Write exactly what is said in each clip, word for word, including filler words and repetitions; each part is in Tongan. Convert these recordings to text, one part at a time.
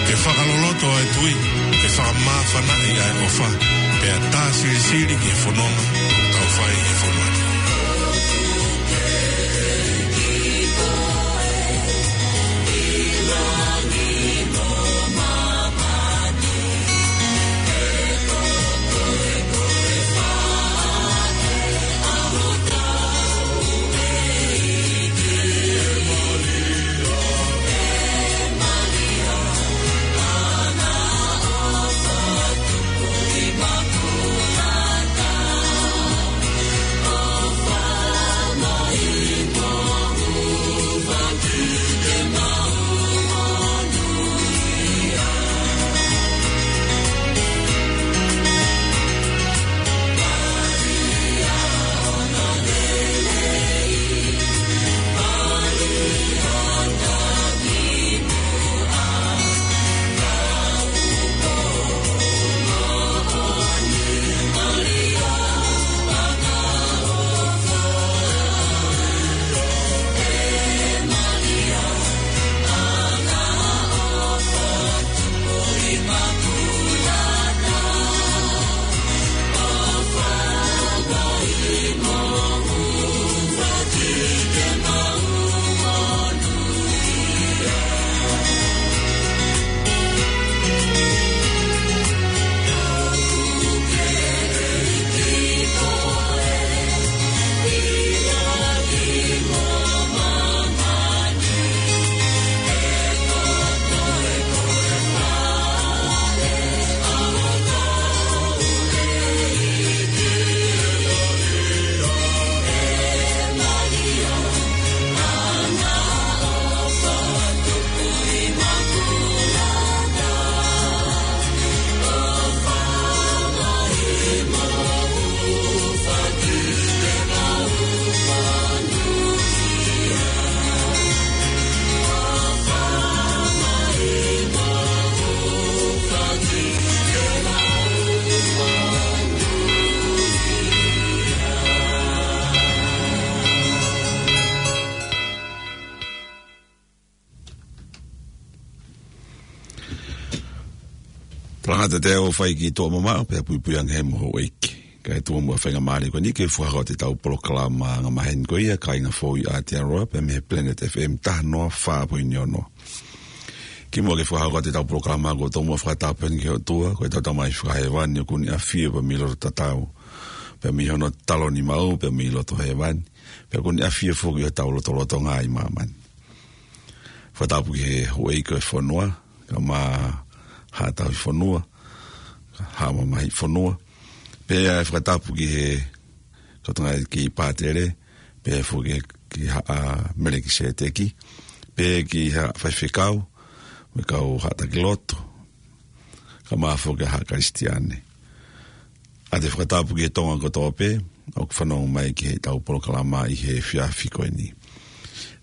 Ke fakaloloto ʻa e tui, ke fakamāfanaʻi ʻa e ʻofa, pea tā silisili ki he fononga ʻoku tau fai he fonua ni. Talangata te u fai ki tuʻa mamaʻo, pea puipui ange mo houʻeiki. Kae tuʻu muʻa faingamālie ko eni ke fakahoko atu ʻetau polokalama angamaheni ko ia, Kāinga Foʻou ʻi Aotearoa, pea mei he Planet F M taha noa fā poini ono. Kimuʻa ke fakahoko atu ʻetau polokalama, ʻoku ou tomuʻa fakatapu heni ki he ʻOtua, ko ʻetau Tamai fakahēvani, ʻoku ne ʻafio pea mei loto tatau, pea mei hono taloni maʻu, pea mei loto hēvani, pea ʻoku ne ʻafio foki ʻi hotau lotolotonga ʻi māmani. Fakatapu ki he houʻeiki ʻo e fonua, kae ʻumaʻā Haʻa Tauhi Fonua, Haʻa Mamahi Fonua. Pea fakatapu ki he kau tangataʻeiki pātele, pea foki ki Haʻa Melekiseteki, pea ki Haʻa Faifekau, mo e kau haʻa taki lotu, kae ʻumaʻā foki Haʻa Kalisitiane. ʻA e fakatapu ki he Tonga kotoa pē ʻoku fanongo mai ki heʻetau polokalama ʻi he efiafi ko eni.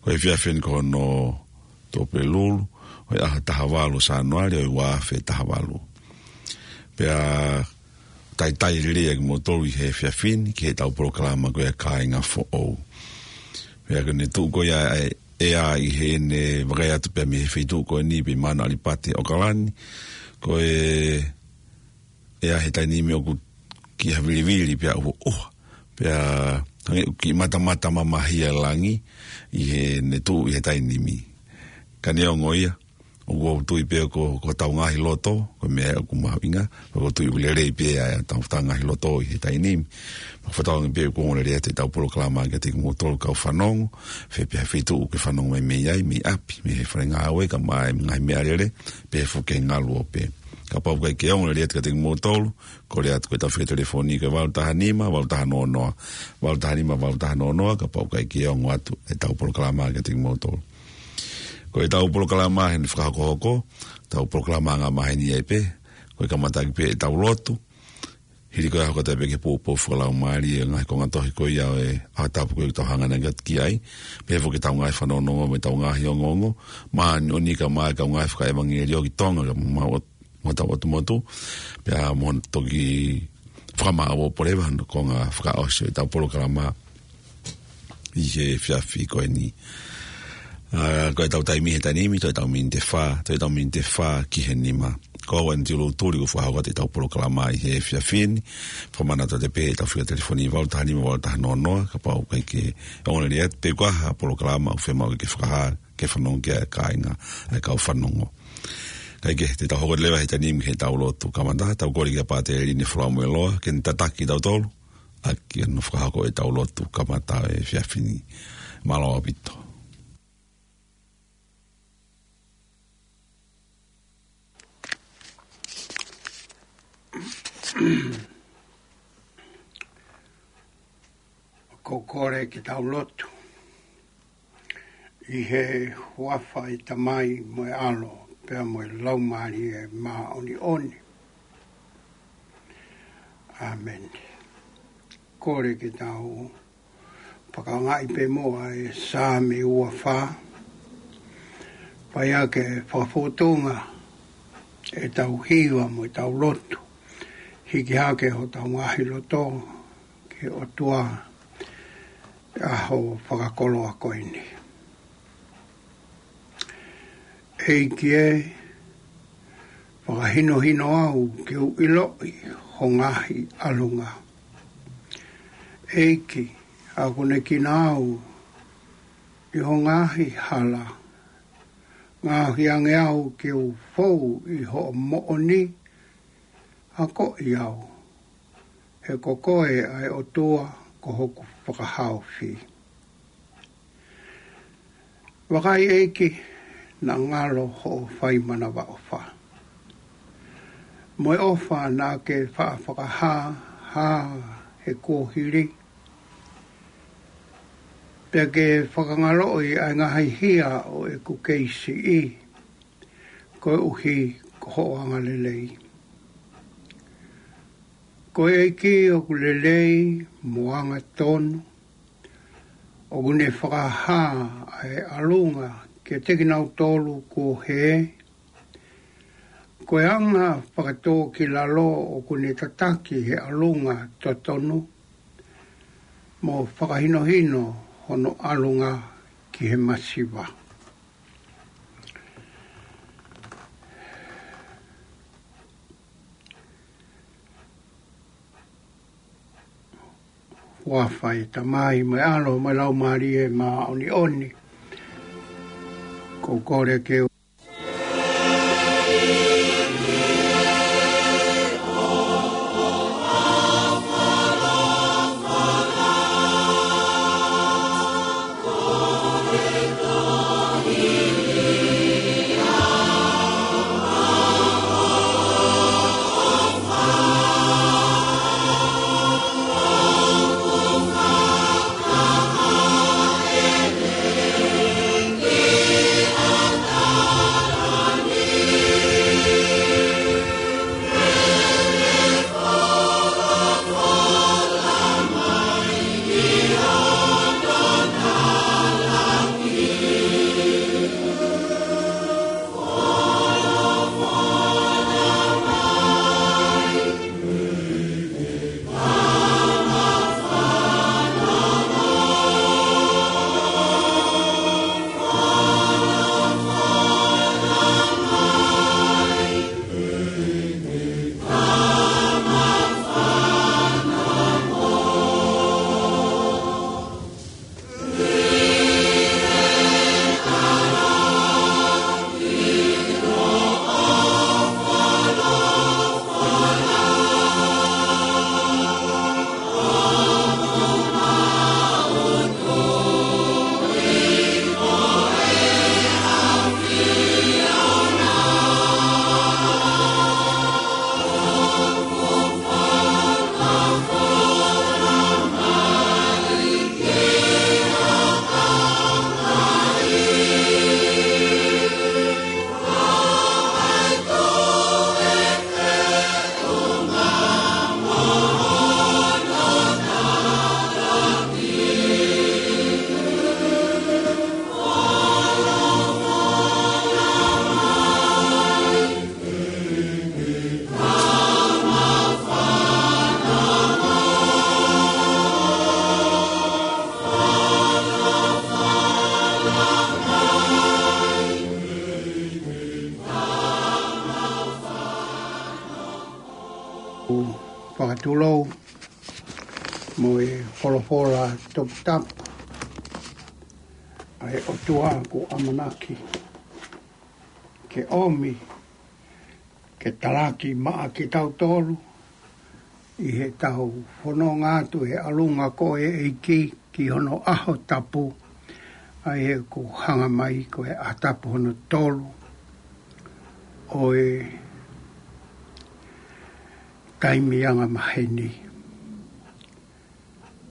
Ko e efiafi eni ko hono Tuʻapulelulu, ʻo e ʻaho taha valu Sānuali, ʻo e ua afe taha valu. Pea talitali lelei kimoutolu ʻi he efiafi ni ki heʻetau polokalama ko ia Kāinga Foʻou. Pea ko ʻene tuʻu ko ia ʻa e ʻea ʻi heʻene vakai atu pea mei he feituʻu ko eni pē ʻi Mauna ʻAlipate, ʻAokalani, ko e ʻea he taimi ni ʻoku kiʻi havilivili pea ʻuha ʻuha. Pea hangē ʻoku kiʻi matamata mamahi ʻa e langi ʻi heʻene tuʻu ʻi he taimi ni. Ka neongo ia, ʻoku ou tui pē ko, ko hotau ngaahi loto, ko e meʻa ʻoku mahuʻinga, pea ʻoku ou tui ʻoku lelei pē ʻa hotau ngaahi loto ʻi he taimi ni. Pea fakatauange pē ʻoku ongo lelei atu ʻetau polokalama kiate kimoutolu kau fanongo, fē pē ha feituʻu ʻoku ke fanongo mai mei ai, mei ʻapi, mei he fale ngāue, kae ʻumaʻā e ngaahi meʻalele, pe foki he ngaluope. Kapau ʻoku ʻikai ke ongo lelei atu kiate kimoutolu, kole atu ki heʻetau fika telefoni ko e valu taha nima, valu taha noa noa, valu taha nima, valu taha noa noa, kapau ʻoku ʻikai ke ongo atu ʻetau polokalama kiate kimoutolu. Ko ʻetau polokalama heni fakahokohoko, ʻetau polokalama angamaheni ai pē, ko e kamataʻaki pē ʻetau lotu, hili ko ia ʻo hoko atu pē ki he poupou fakalaumālie, ngaahi konga tohi ko ia ʻo e ʻaho tapu ko ia ʻoku tau hanga ʻo ngāueʻaki ai, pea foki ʻetau ngaahi fanongonongo mo ʻetau ngaahi ongoongo māʻoniʻoni kae ʻumaʻā e kau ngāue fakaʻevangeliō ki Tonga kae ʻumaʻā mo hotau ʻotu motu, pea mo toki fakamāʻopoʻopo leva hono konga fakaʻosi ʻo ʻetau polokalama ʻi he efiafi ko eni. ʻA, ko ʻetau taimi he taimi ni, toe ʻetau miniti ʻe fā, toe ʻetau miniti ʻe fā ki he nima. Ko au eni Tilo Tuli ʻoku fakahoko atu ʻetau polokalama ʻi he efiafi ni. Fakamanatu atu pē ʻetau fika telefoni valu taha nima valu taha noa noa, kapau ʻoku ʻikai ke ongoongolelei atu, pe ko ha polokalama ʻoku fiemaʻu ke fakahā, ke fanongo ki ai ʻa e kāinga, ʻa e kau fanongo. Kae kehe, te tau hoko leva he taimi ni ki heʻetau lotu kamata, tau kole kia Pātele Lini Folamoeloa, ke ne tataki kitautolu, ʻaki hono fakahoko ʻetau lotu kamata he efiafi ni. Mālō ʻaupito. Ko e kole ke tau lotu. ʻI he huafa ʻo e Tamai mo e ʻAlo, pea mo e Laumālie Māʻoniʻoni. ʻĀmeni. Kole ke tau fakaangaʻi pē muʻa e Saame ua fā. Pea ke fakafōtunga ʻetau hiva mo ʻetau lotu. Hiki hake hotau ngaahi loto ki he ʻOtua he ʻaho fakakoloa ko eni. ʻEiki ē, fakahinohino au ke u ʻiloʻi ho ngaahi ʻalunga. ʻEiki, akonekina au ʻi ho ngaahi hala. Ngaohi ange au ke u fou ʻi hoʻo moʻoni, akoʻi au. He ko koe ʻa e ʻOtua, ko hoku fakahaofi. Vakai ʻEiki, naʻa ngalo hoʻo fai manavaʻofa. Mo e ʻofa naʻa ke faʻa fakahā, hā he kuohili. Pea ke fakangaloʻi ʻa e ngaahi hia ʻo ʻeku kei siʻi. Koeʻuhi ko hoʻo angalelei. Ko e ʻEiki ʻoku lelei mo angatonu, ʻoku ne fakahā ʻa e ʻalunga kiate kinautolu kuo hē. Ko e anga fakatōkilalo ʻoku ne tataki he ʻalunga totonu, mo fakahinohino hono ʻalunga ki he masiva. Huafa ʻo e Tamai mo e ʻAlo mo e Laumālie Māʻoniʻoni. Ko e kole ke Fakatulou mo e folofola toputapu ʻa e ʻOtua kuo ʻamanaki ke ʻomi ke talaki maʻa kitautolu ʻi heʻetau fononga atu he ʻalunga ko e ʻEiki ki hono ʻaho tapu, ʻa ia ʻoku hanga mai ko e ʻaho tapu hono tolu ʻo e taimi angamaheni.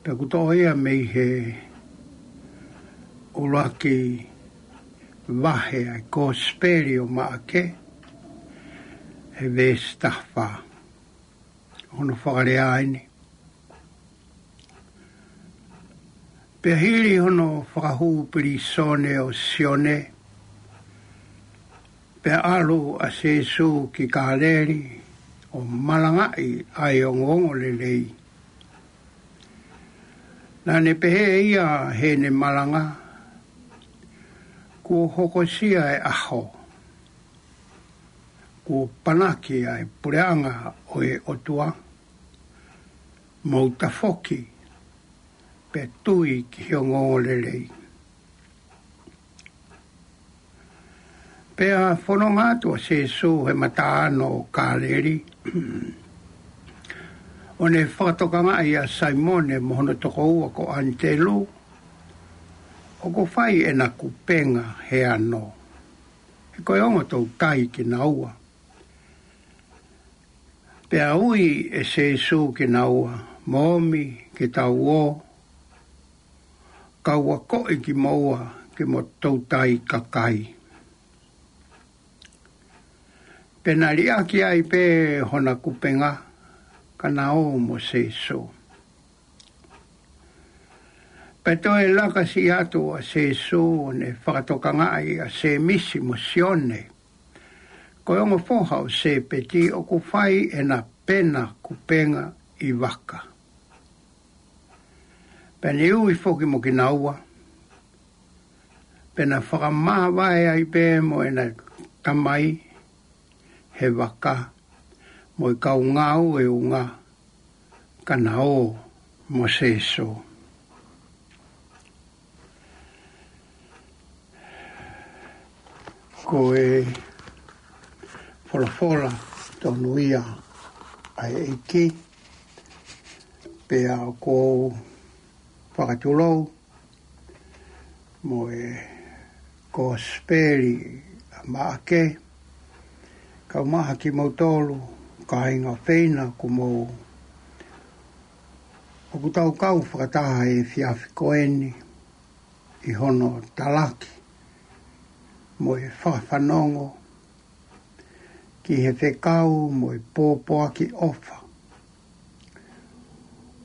Pea ʻoku toʻo ia mei he ʻuluaki vahe ʻa e Kosipeli ʻo Maʻake, he veesi taha fā. Hono fakalea eni: Pea hili hono fakahū pilīsone ʻo Sione, pea ʻalu ʻa Sīsū ki Kāleli ʻo malangaʻi ʻa e ongoongolelei. Naʻa ne pehē ʻe ia heʻene malanga, Kuo hokosia e ʻaho, kuo panaki ʻa e puleʻanga ʻo e ʻOtua, mou tafoki pea tui ki he ongoongolelei. Pea fononga atu ʻa Sīsū he mataʻāno ʻo Kāleli, ʻo ne fakatokangaʻi ʻa Saimone mo hono tokoua ko ʻAnitelū, ʻoku fai ʻena kupenga he ano, he ko e ongo toutai kinaua. Pea ui ʻe Sīsū kinaua, Mou omi ke tau ō, kau akoʻi kimoua ki mo toutai kakai. Pea na liʻaki ai pē hona kupenga, ka na ō mo Sīsū. Pea toe laka siʻi atu ʻa Sīsū, ʻo ne fakatokangaʻi ʻa Sēmisi mo Sione, ko e ongo foha ʻo Sēpeti, ʻoku fai ʻena pena kupenga ʻi vaka. Pea ne ui foki mo kinaua, pea na fakamāvae ai pē mo ʻena tamai he vaka, mo e kau ngāueʻunga, ka na ō mo Sīsū. Ko e folofola tonu ia ʻa e ʻEiki, pea ʻoku ou fakatulou mo e Kosipeli ʻa Maʻake, kau maha kimoutolu, kāinga feina, kuo mou, ʻoku tau kau fakataha he efiafi ko eni ʻi hono talaki mo e fakafanongo ki he fekau mo e pōpoaki ʻofa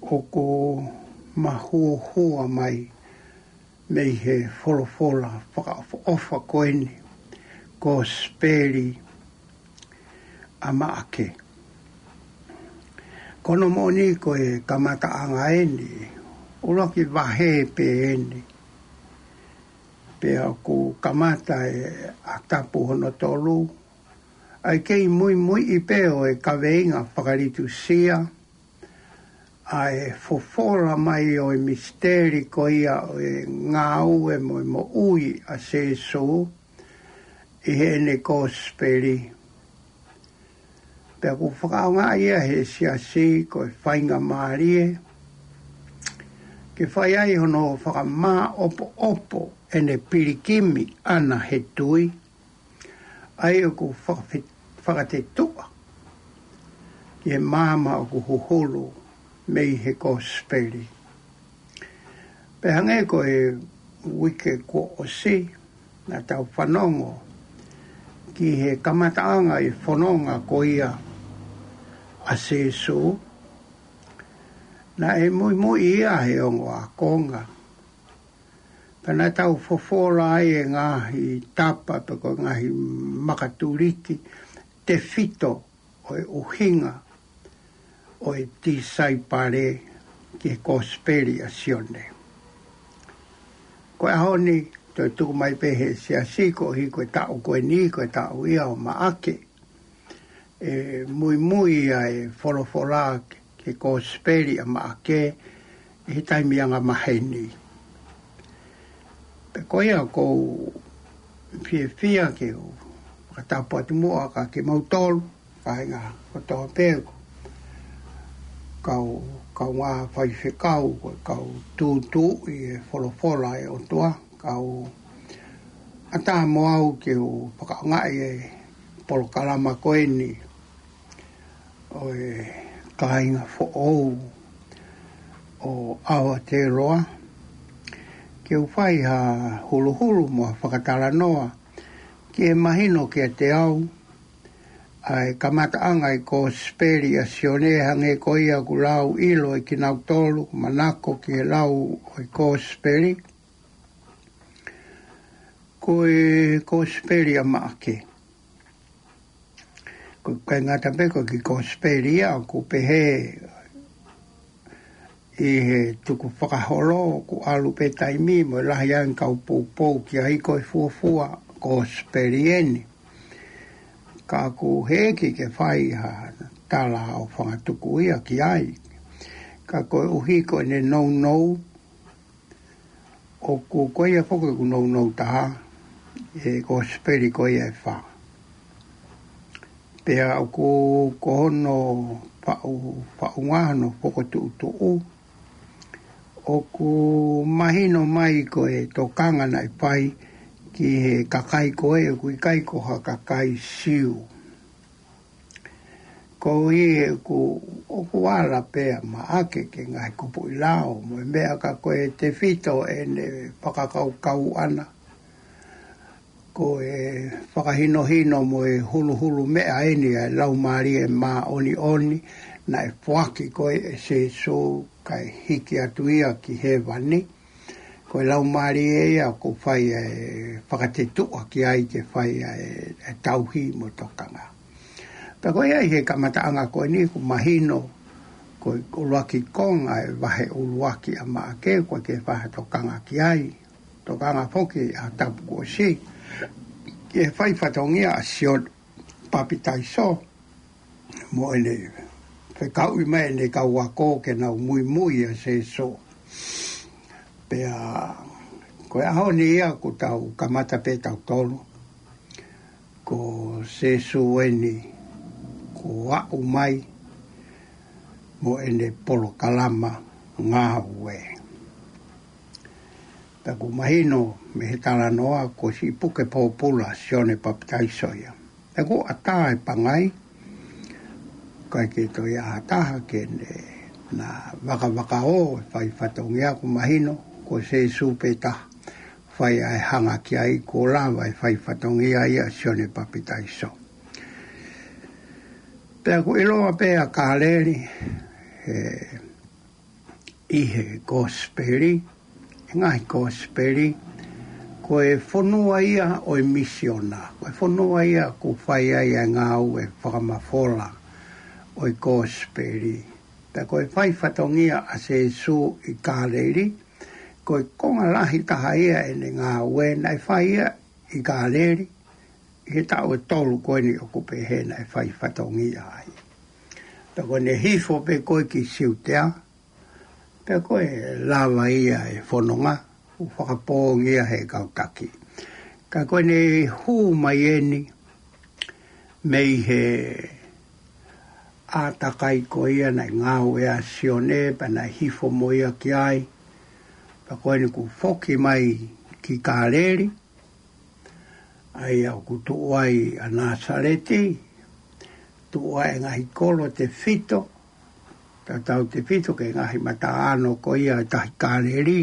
ʻoku mahuohua mai mei he folofola fakaʻofoʻofa ko eni, Kosipeli ʻa Maʻake. Ko hono moʻoni ko e kamataʻanga eni, ʻuluaki vahe pē eni. Pea ʻoku kamata e ʻaho tapu hono tolu, ʻa e kei muimuiʻi pē ʻo e kaveinga fakalitusia, ʻa e fofola mai ʻo e misiteli ko ia ʻo e ngāue mo e moʻui ʻa Sīsū ʻi heʻene Kosipeli. Pea ʻoku fakaʻaongaʻi ia he siasi ko e faingamālie ke fai ai hono fakamāʻopoʻopo ʻene pilikimi ʻana he tui, ʻa ia ʻoku fakafe-, fakatetuʻa ki he maama ʻoku huhulu mei he Kosipeli. Pea hangē ko e uike kuo ʻosi, naʻa tau fanongo ki he kamataʻanga ʻi he fononga ko ia ʻa Sīsū, naʻe muimui ia he ongo ākonga. Pea naʻa tau fofola ai e ngaahi tapa pe ko e ngaahi makatuliki tefito ʻo e ʻuhinga ʻo e tisaipale ki he Kosipeli ʻa Sione. Ko e ʻaho ni, toe tuku mai pē he siasi koeʻuhi ko e taʻu ko eni, ko e taʻu ia ʻo Maʻake. ʻe muimui ʻa e folofola ki he kōsipeli ʻa Maʻake ʻi he taimi anga maheni. Pea ko ia ʻoku ou fiefia ke u fakatapu atu muʻa kia kimautolu, kāinga kotoa pē, kau, kaungā faifekau, ko e kau tūtuuʻi e folofola ʻa e ʻOtua, kau ʻatā mo au ke u fakaʻaongaʻi e polokalama ko eni ʻo e kāinga foʻou ʻo Aotearoa, ke u fai ha huluhulu mo ha fakatalanoa ki he mahino kiate au ʻa e kamataʻanga ʻo e kōsipeli ʻa Sione, hangē ko ia ʻoku lau ʻilo ʻe kinautolu ʻoku manako ki he lau ʻo e kōsipeli, ko e kōsipeli ʻa Maʻake. ʻOku ʻikai ngata pē ko e kiʻi kōsipeli ia, ʻoku pehē ʻi he tukufakaholo, ʻoku ʻalu pē taimi mo e lahi ange kau poupou ki ai ko e fuofua kōsipeli eni. Ka ʻoku heʻeki ke fai ha tala ʻo fakatuku ia ki ai. Ka koeʻuhi ko ʻene nounou, ʻoku ko ia foki ʻoku nounou taha ʻi he kōsipeli ko ia ʻe fā. Pea ʻoku ko hono faʻu, faʻunga hono fokotuʻutuʻu, ʻoku mahino mai ko e tokanga naʻe fai ki he kakai ko ē ʻoku ʻikai ko ha kakai Siu. Koeʻuhi he ʻoku, ʻoku ala pē ʻa Maʻake ki he ngaahi kupuʻi lao mo e meʻa, ka ko e tefito ʻene fakakaukau ʻana, ko e fakahinohino mo e huluhulu meʻa eni ʻa e Laumālie Māʻoniʻoni naʻe foaki ko ē ʻe Sēsū kae hiki atu ia ki hēvani. Ko e Laumālie ia ʻoku fai e fakatetuʻa ki ai ke fai e, e tauhi mo e tokanga. Pea ko ia ʻi he kamataʻanga ko eni ʻoku mahino, ko e ʻuluaki konga e vahe ʻuluaki ʻa Maʻake, ʻoku ʻikai ke fai ha tokanga ki ai. Tokanga foki ʻa e tapu kuo ʻosi ki he fai fatongia ʻa Sione Papitaiso, mo ʻene fekauʻi mai ʻene kau ako ke nau muimui ʻa Sēsū. Pea ko e ʻaho ni ia ʻoku tau kamata pē tautolu, ko Sēsū eni kuo aʻu mai mo ʻene polokalama ngāue. Pea ʻoku mahino mei he talanoa ko e siʻi puke pōpula ʻa Sione Papitaiso ia. Pea ʻoku ʻatā e pangai, ʻikai ke toe ʻi ai ha taha ke ne na vakavakaō e fai fatongia, ʻoku mahino ko Sēsū pē taha fai ʻa e hanga ki ai, kuo lava e fai fatongia ia ʻa Sione Papitaiso. Pea ʻoku ʻiloa pē ʻa Kāleli, he ʻi he kōsipeli, he ngaahi kōsipeli, ko e fonua ia ʻo e misiona, ko e fonua ia ʻoku fai ai e ngāue fakamafola ʻo e kōsipeli. Pea ko e fai fatongia ʻa Sēsū ʻi Kāleli, ko e konga lahi taha ia ʻene ngāue naʻe fai ia ʻi Kāleli, ʻi he taʻu ʻe tolu ko eni ʻoku pehē naʻe fai fatongia ai. Pea ko ʻene hifo pē ko ē ki Siutea, pea ko e lava ia e fononga, ʻo fakapōngia he kau taki. Ka ko ʻene hū mai eni mei he ʻātakai ko ia naʻe ngāue ʻa Sione, pea naʻe hifo mo ia ki ai, pea ko eni kuo foki mai ki Kāleli, ʻa ia ʻoku tuʻu ai ʻa Nāsaleti, tuʻu ai e ngaahi kolo tefito, tatau tefito ki he ngaahi mataʻāno ko ia ʻo e tahi Kāleli,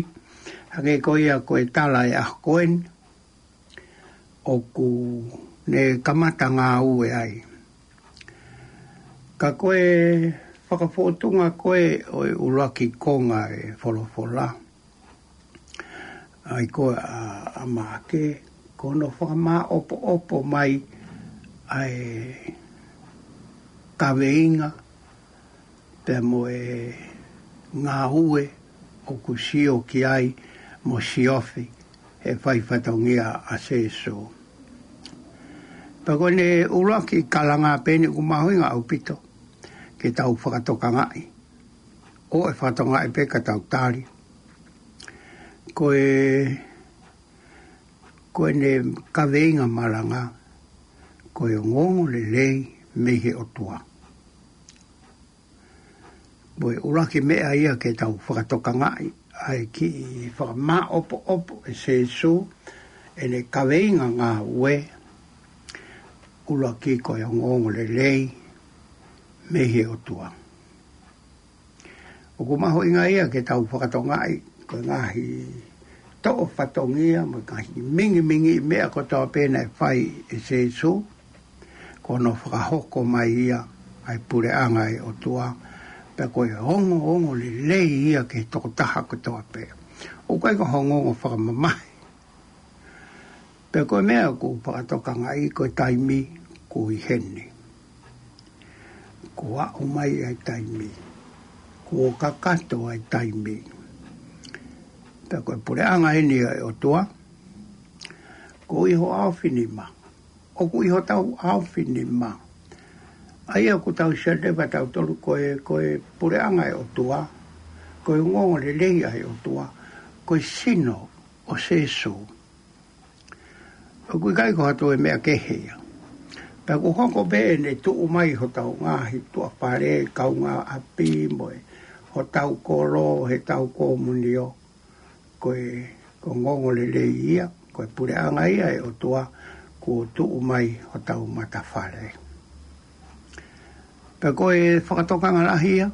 hangē ko ia ko e tala ʻa e ʻaho ko eni, ʻoku ne kamata ngāue ai. Ka ko e fakafōtunga ko ē ʻo e ʻuluaki konga e folofola, ʻa ia ko ē ʻa, ʻa Maʻake, ko hono fakamāʻopoʻopo mai ʻa e kaveinga pea mo e ngāue ʻoku sio ki ai mo siofi he fai fatongia ʻa Sēsū. Pea ko ʻene ʻuluaki kalanga pē eni ʻoku mahuʻinga ʻaupito ke tau fakatokangaʻi. ʻOua ʻe fakatokangaʻi pē ka tau tali. Ko e, ko ʻene kaveinga malanga, ko e ongoongolelei mei he ʻOtua. Ko e ʻuluaki meʻa ia ke tau fakatokangaʻi, ʻa e kiʻi fakamāʻopoʻopo ʻe Sīsū ʻene kaveinga ngāue, ʻuluaki ko e ongoongolelei mei he ʻOtua. ʻOku mahuʻinga ia ke tau fakatokangaʻi ko e ngaahi toʻo fatongia mo e ngaahi mingimingiʻi meʻa kotoa pē naʻe fai ʻe Sīsū, ko hono fakahoko mai ia ʻa e puleʻanga ʻo e ʻOtua, pea ko e ongoongolelei ia ki he tokotaha kotoa pē. ʻOku ʻikai ko ha ongoongo fakamamahi. Pea ko e meʻa ʻoku fakatokangaʻi ko e taimi kuo ʻi heni. Kuo aʻu mai ʻa e taimi. Kuo kakato ʻa e taimi. Pea ko e puleʻanga eni ʻo e ʻOtua, ko e ʻi ho ʻaofinima. ʻOku ʻi hotau ʻaofinima. ʻA ia ʻoku tau sio leva tautolu ko e, ko e puleʻanga ʻo e ʻOtua, ko e ongoongolelei ʻa e ʻOtua, ko e sino ʻo Sīsū. ʻOku ʻikai ko ha toe meʻa kehe ia. Pea ʻoku hoko pē ʻene tuʻu mai hotau ngaahi tuʻa fale, kaungāʻapi mo e hotau kolo, heʻetau komunio, ko e, ko e ongoongolelei ia, ko e puleʻanga ia ʻo e ʻOtua, kuo tuʻu mai hotau matafale. Pea ko e fakatokanga lahi ia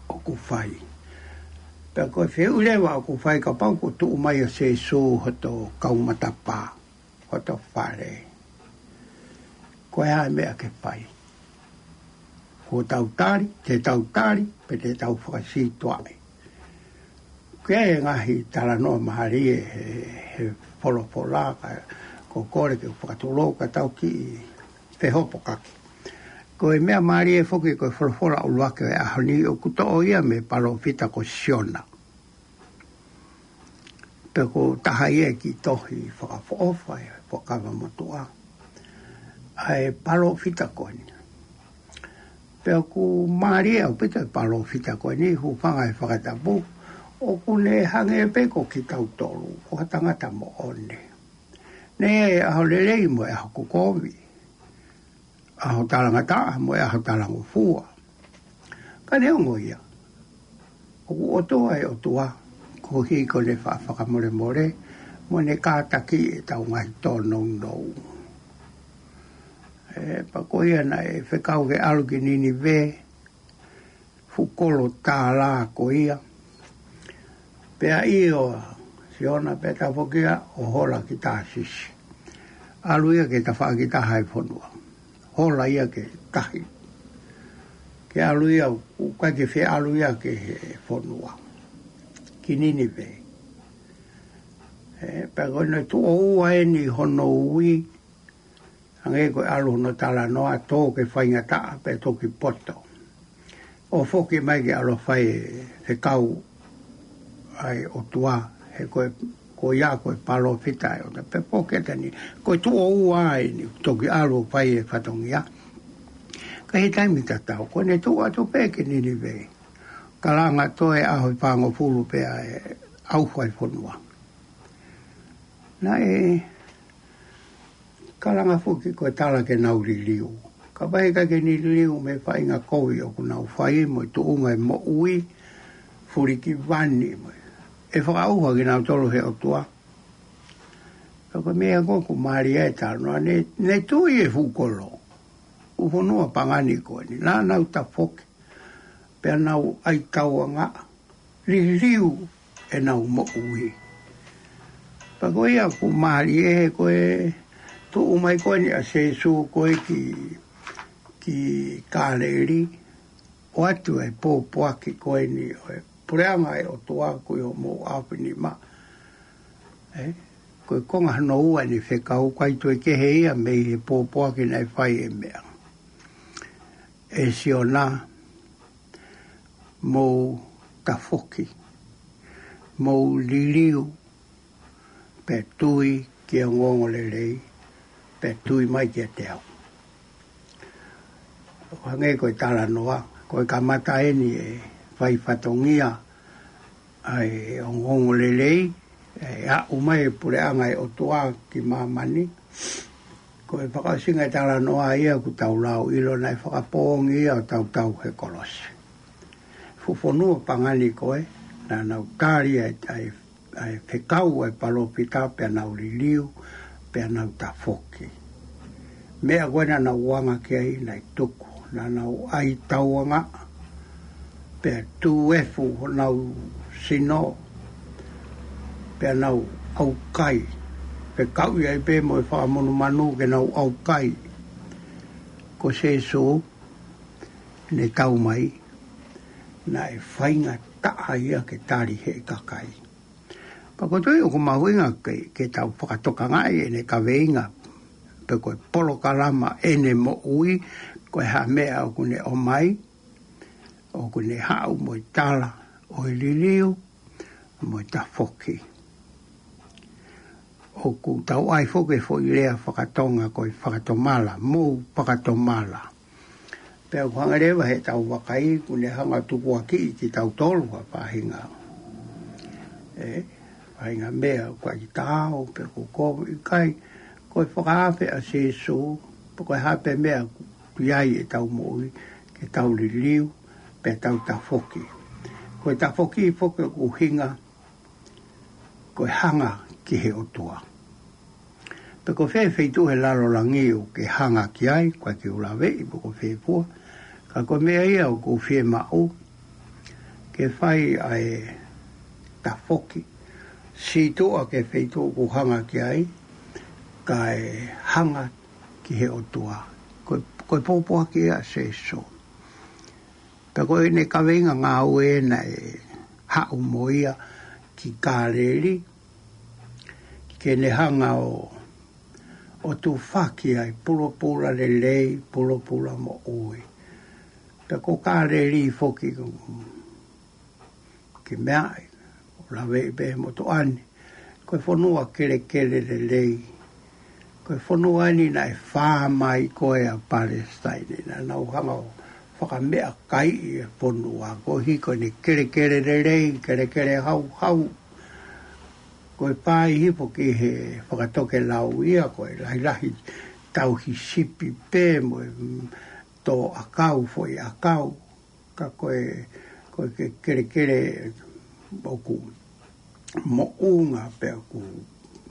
ʻoku fai. Pea ko e fehuʻi leva ʻoku fai, kapau kuo tuʻu mai ʻa Sīsū hoto kaumatapā, hoto fale, ko e hā e meʻa ke fai? Ko hotau tali, te tau tali, pe te tau fakasītuʻaʻi? Ko e ngaahi talanoa mālie he, he folofola, ka ʻoku ou kole ke u fakatulou ka tau kiʻi fehopokaki. Ko e meʻa mālie foki ko e folofola ʻuluaki ʻo e ʻaho ni ʻoku toʻo ia mei he palōfita ko Siona. Pea ko e taha ia e kiʻi tohi fakaʻofoʻofa ʻi he Fuakava Motuʻa, ʻa e palōfita ko eni. Pea ʻoku mālie ʻaupito e palōfita ko eni, hūfanga he fakatapu, ʻoku ne hangē pē ko kitautolu, ko ha tangata moʻoni. Ne ʻi ai e ʻaho lelei mo e ʻaho kovi, ʻaho talangataʻa mo e ʻaho talangofua. Ka neongo ia, ʻoku ʻOtua ʻa e ʻOtua, koeʻuhi ko ʻene faʻa fakamolemole, mo ʻene kātaki ʻetau ngaahi tōnounou. ʻE, pea ko ia naʻe fekau ke ʻalu ki Ninive, fuʻu kolo tālā ko ia. Pea ʻio ʻa Siona pea tafoki ia ʻo hola ki Tāsisi. ʻAlu ia ki he tafaʻaki taha ʻo e fonua. Hola ia ki he tahi. Ke ʻalu ia, ʻoku ʻikai ke fie ʻalu ia ki he fonua. Ki Ninive. ʻE, pea ko ʻene tuʻo ua eni hono ui, hangē ko e ʻalu hono talanoa, tō ki he faingataʻa pea toki poto. ʻO foki mai ke ʻalu ʻo fai e fekau ʻa e ʻOtua, he ko e, ko ia ko e palōfita ʻa e ʻOtua, pea foki atu eni, ko e tuʻo ua eni, toki ʻalu ʻo fai e fatongia. Ka ʻi he taimi tatau, ko ʻene tuʻu atu pē ki Ninive, kalanga toe ʻaho ʻe fāngofulu pea ʻauha e fonua. Naʻe kalanga foki ko e tala ke nau liliu. Kapau ʻe ʻikai ke ne liliu mei he faʻahinga kovi ʻoku nau fai mo e tuʻunga e moʻui, fulikivani mo e, ʻe fakaʻauha kinautolu ʻe he ʻOtua. Ka ko e meʻa ko ē ʻoku mālie ai e talanoa, ne, ne tui e fuʻu kolo, fuʻu fonua pagani ko eni, naʻa nau tafoki, pea nau ʻai tauangaʻa, liliu ʻenau moʻui. Pea ko ia ʻoku mālie he ko e tuʻu mai ko eni ʻa Sīsū ko ē ki, ki Kāleli, ʻoatu e pōpoaki ko eni ʻo e puleʻanga ʻo e ʻOtua ʻoku ʻi homou ʻaofinima. ʻE, ko e konga hono ua ʻene fekau, ʻikai toe kehe ia mei he pōpoaki naʻe fai ʻe meʻa. ʻE Siona, mou tafoki, mou liliu, pea tui ki he ongoongolelei, pea tui mai kiate au. ʻO hangē ko e talanoa, ko e kamata eni e fai fatongia ʻa e ongoongolelei, ʻe aʻu mai e puleʻanga ʻo e ʻOtua ki māmani. Ko e fakaʻosinga e talanoa ia ʻoku tau lau ʻilo naʻe fakapoongi ia ʻo tautau he kolosi. Fuʻu fonua pangani ko ē, naʻa nau tali ʻa e, ʻa e, ʻa e fekau ʻa e palōfita pea nau liliu, pea nau tafoki. Meʻa ko ē naʻa nau anga ki ai naʻe tuku, naʻa nau ʻai tauangaʻa, pea tū efu honau sino, pea nau ʻaukai. Fekauʻi ai pē mo e fakamanumanu ke nau ʻaukai. Ko Sēsū, ne tau mai, naʻe faingataʻa ia ke tali he kakai. Pea ko e tui ʻoku mahuʻinga ke, ke tau fakatokangaʻi ʻene kaveinga, pe ko e polokalama ʻene moʻui, ko e hā meʻa ʻoku ne ʻomai, ʻoku ne haʻu mo e tala ʻo e liliu, mo e tafoki. ʻOku tau ʻai foki e foʻi lea fakatonga ko e fakatomala, mou fakatomala. Pea ʻoku hanga leva he tau vakai, ʻoku ne hanga tukuakiʻi kitautolu ha faʻahinga. ʻE, faʻahinga meʻa, ʻoku ʻikai ke tau, pe ko ko, ʻikai, ko e fakaafe ʻa Sēsū, pe ko e hā pē meʻa ʻoku ʻi ai ʻetau moʻui, ke tau liliu, pea tau tafoki. Ko e tafoki foki ʻoku ʻuhinga, ko e hanga ki he ʻOtua. Pe ko fē feituʻu he lalo langi ʻoku ke hanga ki ai, ʻoku ʻikai ke u laveʻi pe ko fē fua, ka ko e meʻa ia ʻoku fiemaʻu, ke fai ʻa e tafoki, sītuʻa ki he feituʻu ʻoku hanga ki ai, kae hanga ki he ʻOtua. Ko e, ko e pōpoaki ia ʻa Sēsū. Pea ko ʻene kaveinga ngāue naʻe haʻu mo ia ki Kāleli, ke ne hanga ʻo, ʻo tufaki ʻa e pulopula lelei, pulopula moʻui. Pea ko Kāleli foki ko, ke meaʻi, ʻo laveʻi pē he motuʻa ni, ko e fonua kelekele lelei. Ko e fonua ni naʻe fāmai ko ē ʻa Palesitaine, naʻa nau hanga ʻo fakameʻakaiʻi e fonua, koeʻuhi ko ʻene kelekele lelei, kelekele hauhau. Ko e fai hifo ki he fakatokelau ia, ko e lahilahi tauhi sipi pē mo e, mm, tō ʻakau, foʻi ʻakau. Ka ko e, ko e ke, kelekele ʻoku moʻunga pea ʻoku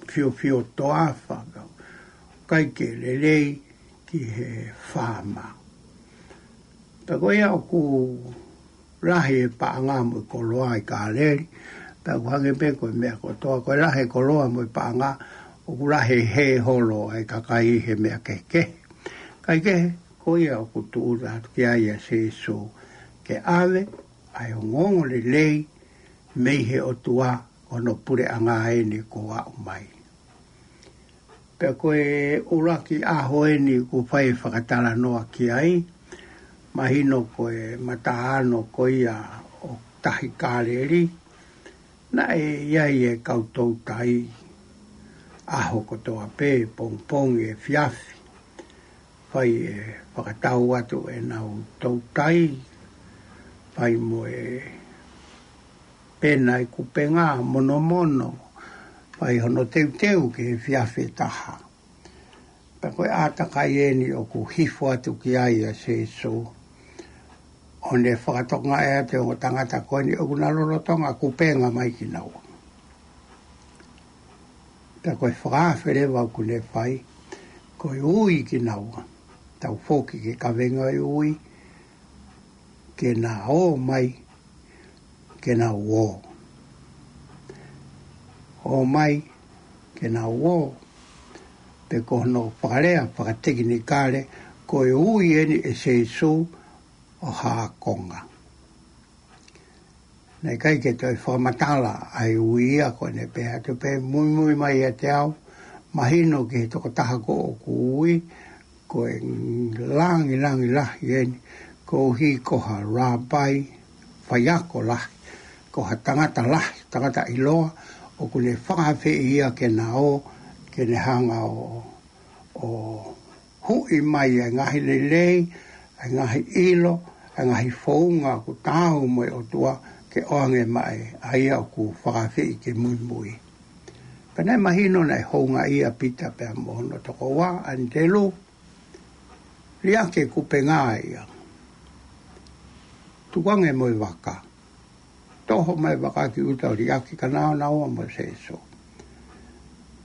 fiofio toafa, pea ʻikai ke lelei ki he faama. Pea ko ia ʻoku lahi e paʻanga mo e koloa ʻi Kāleli, pea ʻoku hangē pē ko e meʻa kotoa, ko e lahi e koloa mo e paʻanga, ʻoku lahi e hē holo ʻa e kakai he meʻa kehekehe. Kae kehe, ko ia ʻoku tūʻuta atu ki ai ʻa Sēsū, ke ʻave ʻa e ongoongolelei mei he ʻOtua, ko hono puleʻanga eni kuo aʻu mai. Pea ko e ʻuluaki ʻaho eni ʻoku fai e fakatalanoa ki ai, mahino ko e mataʻāno ko ia ʻo Tahi Kāleli, naʻe ʻi ai e kau toutai ʻaho kotoa pē, pongipongi, efiafi. Fai e fakatau atu ʻenau toutai, fai mo e pena e kupenga, monomono, fai hono teuteu ki he efiafi ʻe taha. Pea ko e ʻātakai eni ʻoku hifo atu ki ai ʻa Sēsū, ʻo ne fakatokangaʻi atu e ongo tangata ko eni ʻoku na lolotonga kupenga mai kinaua. Pea ko e fakaafe leva ʻoku ne fai, ko e ui kinaua, tau foki ki he kaveinga ʻo e ui, ke na ō mai, ke na ō. Ō mai, ke na ō. Pe ko hono fakalea fakatekinikale, ko e ui eni ʻe Sēsū ʻo ha ākonga. Naʻe ʻikai ke toe fakamatala ʻa e ui ia, ko ʻene pehē atu pē, muimui mai ʻiate au, mahino ki he tokotaha ko ē ʻoku ui, ko e langilangi lahi eni, koeʻuhi ko ha lāpai, faiako lahi, ko ha tangata lahi, tangata ʻiloa, ʻoku ne fakaafeʻi ia ke na ō, ke ne hanga ʻo ʻo huʻi mai ʻa e ngaahi lelei, ʻa e ngaahi ʻilo, ʻa e ngaahi founga ʻoku taau mo e ʻOtua ke ʻoange maʻa ia ʻoku fakaafeʻi ke muimui. Pea naʻe mahino naʻe houngaʻia ʻa Pita pea mo hono tokoua, ʻAnitelū, liʻaki e kupenga ia. Tukuange mo e vaka. Toho mai e vaka ki ʻuta ʻo liʻaki kinaua mo Sēsū.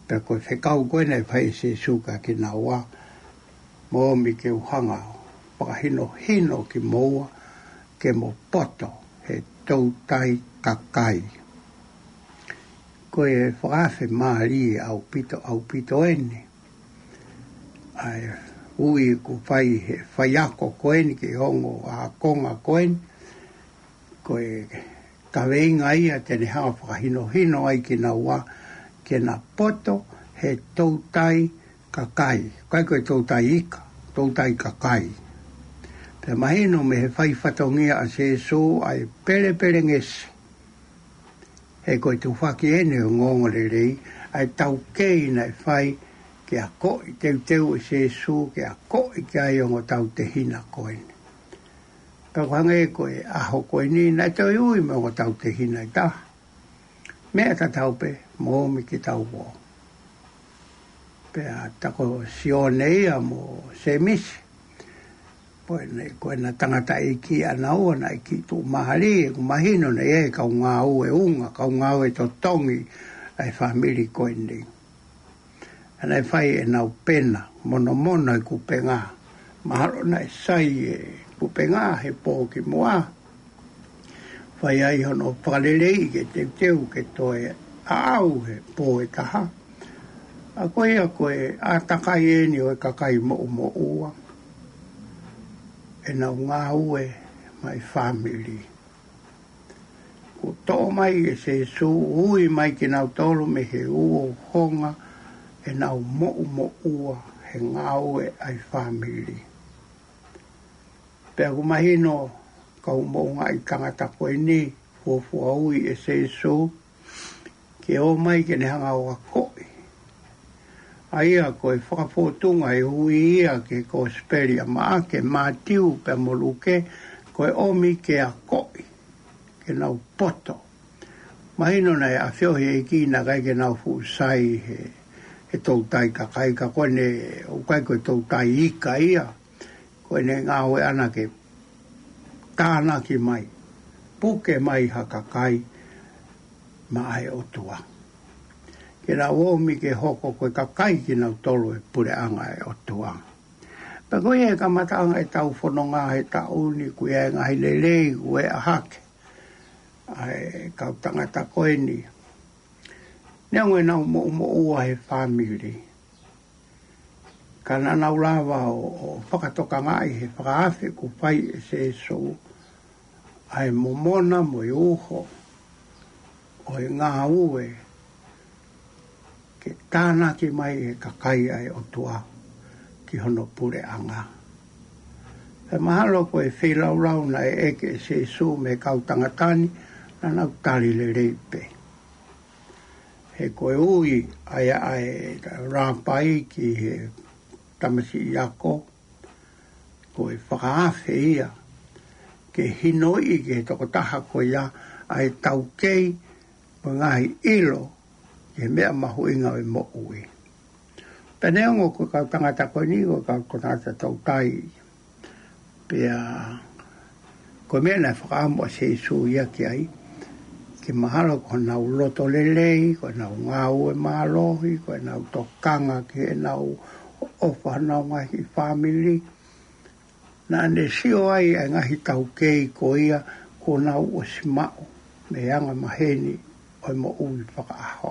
Pea ko e fekau ko ē naʻe fai ʻe Sēsū kiate kinaua, Mou ōmi ke u hanga ʻo fakahinohino kimoua ke mo poto he toutai kakai. Ko e fakaafe mālie ʻaupito, ʻaupito eni. ʻA e ui ʻoku fai he faiako ko eni ki he ongo ākonga ko eni. Ko e kaveinga ia te ne hanga ʻo fakahinohino ai kinaua ke na poto he toutai kakai. ʻIkai ko e toutai ika, toutai kakai. Pea mahino mei he fai fatongia ʻa Sēsū ʻa e pelepelengesi. He ko e tufaki eni ʻo e ongoongolelei, ʻa e taukei naʻe fai ke akoʻi teuteu ʻe Sēsū, ke akoʻi ki ai ʻa e ongo tautehina ko eni. Pea ʻoku hangē ko e ʻaho ko eni, naʻe toe ui mo e ongo tautehina ʻe taha. Meʻa tatau pē, mou ōmi ke tau ō. Pea tā ko Sione ia mo Sēmisi. Ko ena, ko ena tangataʻeiki ʻanaua naʻe kiʻi tuʻumālie, ʻoku mahino naʻe ʻi ai e kau ngāue unga, kau ngāue totongi ʻa e fāmili ko eni. ʻA ia naʻe fai ʻenau pena, monomono e kupenga. Mahalo naʻe sai e kupenga he pō kimuʻa. Fai ai hono fakaleleiʻi ke teuteu ke toe aʻau he pō ʻe taha. ʻA ko ia ko e ʻātakai eni ʻo e kakai moʻumoʻua. ʻEnau ngāue maʻa e fāmili. Kuo toʻo mai ʻe Sēsū, ui mai kinautolu mei he uouongofua ʻenau moʻumoʻua he ngāue ʻa e fāmili. Pea ʻoku mahino kau moʻungaʻi tangata ko eni, fuofua ui ʻe Sēsū, ke ō mai ke ne hanga ʻo akoʻi. ʻA ia ko e fakafōtunga e ui ia ki he Kosipeli ʻa Maʻake, Mātiu pea mo Luke, ko e ʻomi ke akoʻi, ke nau poto. Mahino naʻe ʻafioʻi ʻe he ʻEiki naʻe ʻikai ke nau fuʻu sai he, he toutai kakai ka ko ʻene, ʻoku ʻikai ko e toutai ika ia. Ko ʻene ngāue ʻana ke tānaki mai, puke mai ha kakai maʻa e ʻOtua. Ke nau ōmi ke hoko ko e kakai kinautolu e puleʻanga e ʻOtua. Pea ko ia e kamataʻanga ʻetau fononga he taʻu ni, ʻoku ʻi ai e ngaahi lelei ʻoku ʻeʻa hake ʻa e kau tangata ko eni. Neongo ʻenau moʻumoʻua he fāmili, ka naʻa nau lava ʻo, ʻo fakatokangaʻi he fakaafe kuo fai ʻe Sēsū ʻa e momona mo e uho ʻo e ngāue ke tānaki mai e kakai ʻa e ʻOtua ki hono puleʻanga. Pea mahalo ko e feilaulau naʻe ʻeke ʻe Sēsū mei he kau tangata ni, naʻa nau tali lelei pē. He ko e ui ʻa e, ʻa e lāpai ki he tamasiʻi ako, ko e fakaafe ia ke hinoiʻi ki he tokotaha ko ia ʻa e taukei mo e ngaahi ʻilo ki he meʻa mahuʻinga ʻo e moʻui. Pea neongo ko e kau tangata ko eni, ko e kau tangata toutai. Pea ko e meʻa naʻe fakaʻamu ʻa Sēsū ia ki ai, ke mahalo ko honau loto lelei, ko honau ngāue mālohi, ko honau tokanga ki heʻenau ʻofa honau ngaahi fāmili. Naʻa ne sio ai ʻa e ngaahi taukei ko ia kuo nau ʻosi maʻu mei he anga maheni ʻo e moʻui fakaʻaho.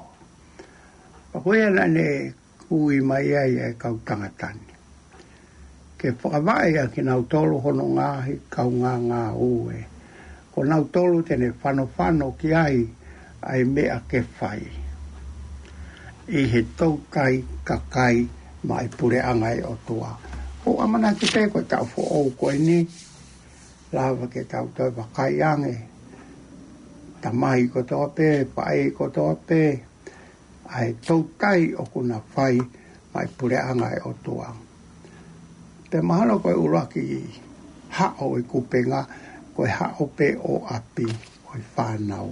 Pea ko ia naʻa ne ui mai ai ʻa e kau tangata ni ke fakavaʻe ʻa kinautolu hono ngaahi kaungāngāue. Ko nautolu te ne fanofano ki ai ʻa e meʻa ke fai ʻi he toutai kakai maʻa e puleʻanga e ʻOtua. ʻOku ou ʻamanaki pē ko e taʻu foʻou ko eni, lava ke tau toe vakai ange, tamai kotoa pē, faʻē kotoa pē, ʻa e toutai ʻoku na fai ʻa e puleʻanga ʻo e ʻOtua. Pea mahalo ko e ʻuluaki haʻo ʻo e kupenga, ko e haʻo pē ʻo ʻapi ʻo e fānau.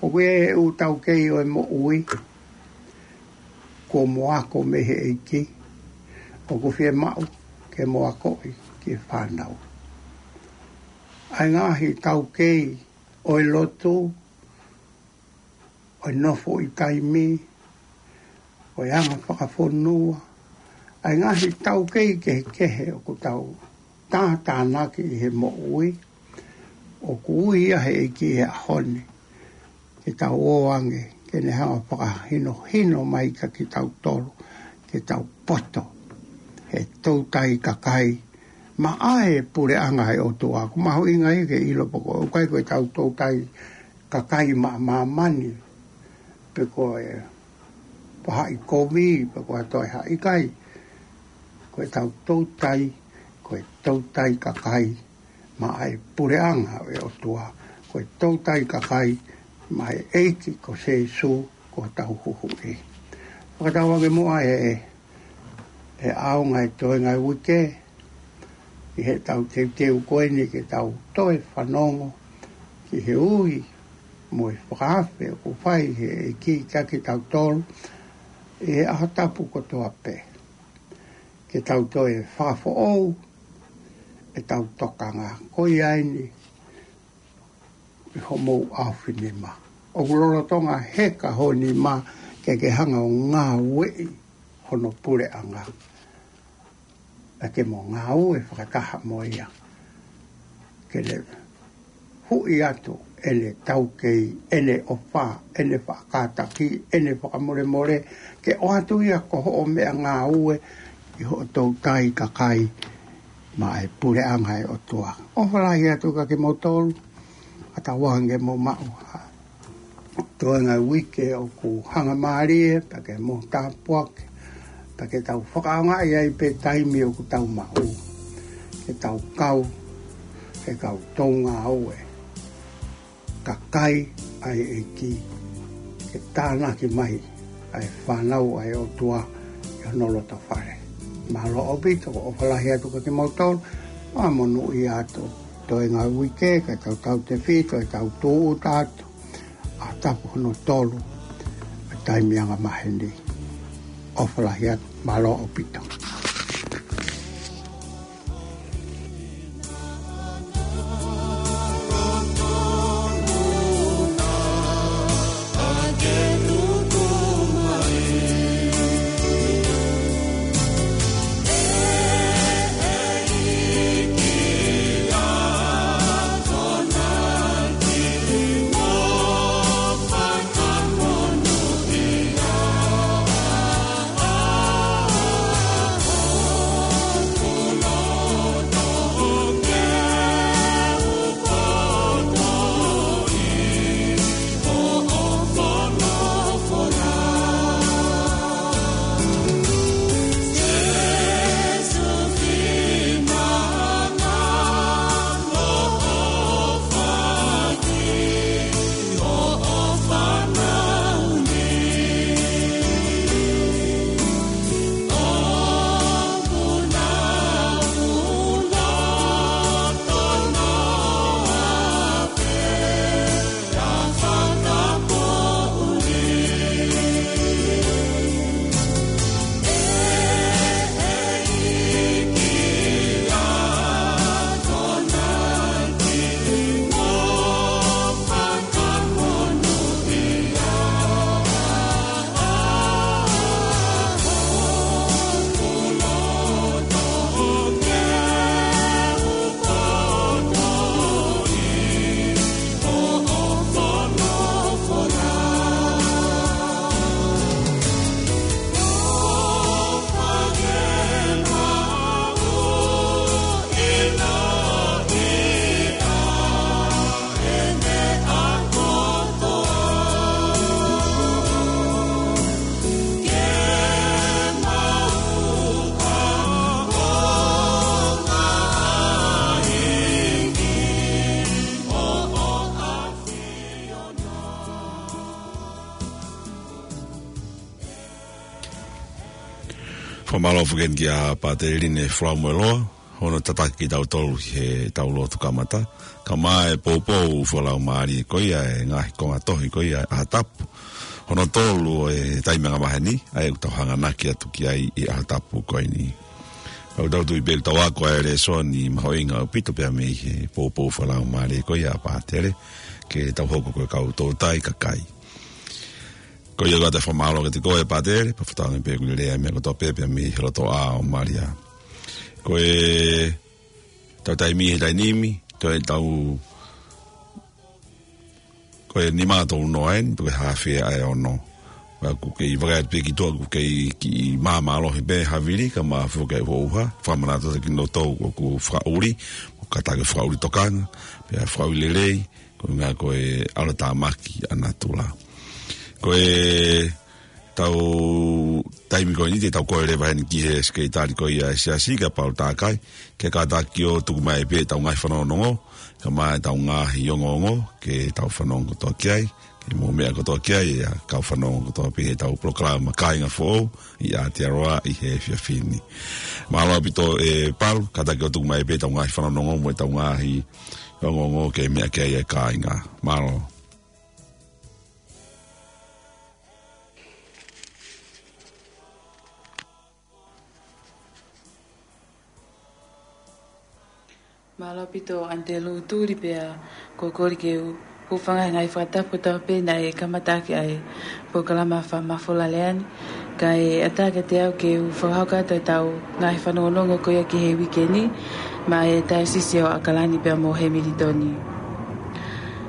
ʻOku ʻi ai e ʻū taukei ʻo e moʻui, kuo mo ako mei he ʻEiki, ʻoku fiemaʻu ke mo akoʻi ki he fānau. ʻA e ngaahi taukei ʻo e lotu, ʻo e nofo ʻi taimi, ʻo e anga fakafonua, ʻa e ngaahi taukei kehekehe ʻoku tau tātānaki ʻi he moʻui, ʻoku ui ia he ʻEiki he ʻaho ni, ke tau ō ange, ke ne hanga fakahinohino mai kia kitautolu, ke tau poto he toutai kakai, maʻa e puleʻanga ʻo e ʻOtua. ʻOku mahuʻinga ia ke ʻilo pe ko e ʻikai ko e tau toutai kakai maʻa māmani, pe ko e faʻahikovi, pe ko ha toe ha ʻikai. Ko e tau toutai, ko e toutai kakai maʻa e puleʻanga ʻo e ʻOtua. Ko e toutai kakai maʻa e ʻEiki ko Sēsū ko hotau Huhuʻi. Fakatauange muʻa ē, ʻe ʻaonga e toenga ʻo e uike, ʻi heʻetau teuteu ko eni ke tau toe fanongo ki he ui mo e fakaafe ʻoku fai he ʻEiki kia kitautolu ʻi he ʻaho tapu kotoa pē. Ke tau toe fakafoʻou ʻetau tokanga. Ko ia eni, ʻi homou ʻaofinima. ʻOku lolotonga heka ho nima ke ke hanga ʻo ngāueʻi hono puleʻanga. Pea ke mo ngāue fakataha mo ia. Ke ne huʻi atu ʻene taukei, ʻene ʻofa, ʻene faʻa kātaki, ʻene fakamolemole, ke ʻoatu ia ko hoʻo meʻangāue ʻi hoʻo toutai kakai maʻa e puleʻanga ʻo e ʻOtua. ʻOfa lahi atu kia kimoutolu, fakatauange ke mou maʻu ha toenga ʻo e uike ʻoku hangamālie, pea ke mou tāpuaki, pea ke tau fakaʻaongaʻi ai pē taimi ʻoku tau maʻu, ke tau kau he kau toʻungāue kakai ʻa e ʻEiki, ke tānaki mai ʻa e fānau ʻa e ʻOtua ʻi hono loto fale. Mālō ʻaupito, ʻofa lahi atu kia kimoutolu, ʻa monūʻia atu. Toenga ʻo e uike, ka tau tautefito, ʻe tau tūʻuta atu ʻa tapu hono tolu ʻa e taimi anga maheni. ʻOfa lahi atu, mālō ʻaupito. Fakamālō foki kia Pātele Line Folamoeloa, hono tataki kitautolu he tau lotu kamata. Kae ʻumaʻā e poupou fakalaumālie ko ia e ngaahi konga tohi ko ia ʻa e ʻaho tapu. Hono tolu ʻo e taimi ʻanga maheni, ʻa ia ʻoku tau hanganaki atu ki ai ʻi he ʻaho tapu ko eni. Tau tau tui pē ʻoku tau ako ʻa e lēsoni mahuʻinga ʻaupito pea mei he poupou fakalaumālie ko ia ʻa Pātele, ke tau hoko ko e kau toutai kakai. Ko ia ʻoku ʻoatu e fakamālō kiate koe Pātele, pea fakatauange pē ʻoku lelei ʻa e meʻa kotoa pē pea mei he loto ʻā ʻo Malia. Ko e tau taimi he taimi ni, ko e tau, ko e nima tolu noa eni, ko e haafe ʻa e ono. Pea ʻoku kei vakai atu pē ki tuʻa, ʻoku kei kiʻi māmālohi pē havili, kae ʻumaʻā foki e ʻuha, fakamanatu atu kiate kinautolu ʻoku fakaʻuli, ʻoku kātaki fakaʻuli tokanga, pea fakaʻuli lelei, ko e ʻuhinga ko e ʻalotāmaki ʻa natula. Ko e tau taimi ko eni te tau kole leva heni ki he sekelitali ko ia ʻa e siasi kia Paul Takai, ke kātaki ʻo tuku mai pē ʻetau ngaahi fanongonongo, kae ʻumaʻā ʻetau ngaahi ongoongo, ke tau fanongo kotoa ki ai, ke mou meʻa kotoa ki ai, ʻa e kau fanongo kotoa pē heʻetau polokalama Kāinga Foʻou, ʻi Aotearoa ʻi he efiafi ni. Mālō ʻaupito ē Paul, kātaki ʻo tuku mai pē ʻetau ngaahi fanongonongo mo ʻetau ngaahi ongoongo ke meʻa ki ai e kāinga. Mālō. Mālō ʻaupito ʻAnitelū Tuli pea ko e kole ke u hūfanga he ngaahi fakatapu kotoa pē naʻe kamata ʻaki ʻa e polokalama fakamafola lea ni. Kae ʻatā kiate au ke u fakahoko atu ʻetau ngaahi fanongonongo ko ia ki he uike ni, maʻa e Taiosisi ʻo ʻAokalani pea mo Hemilitoni.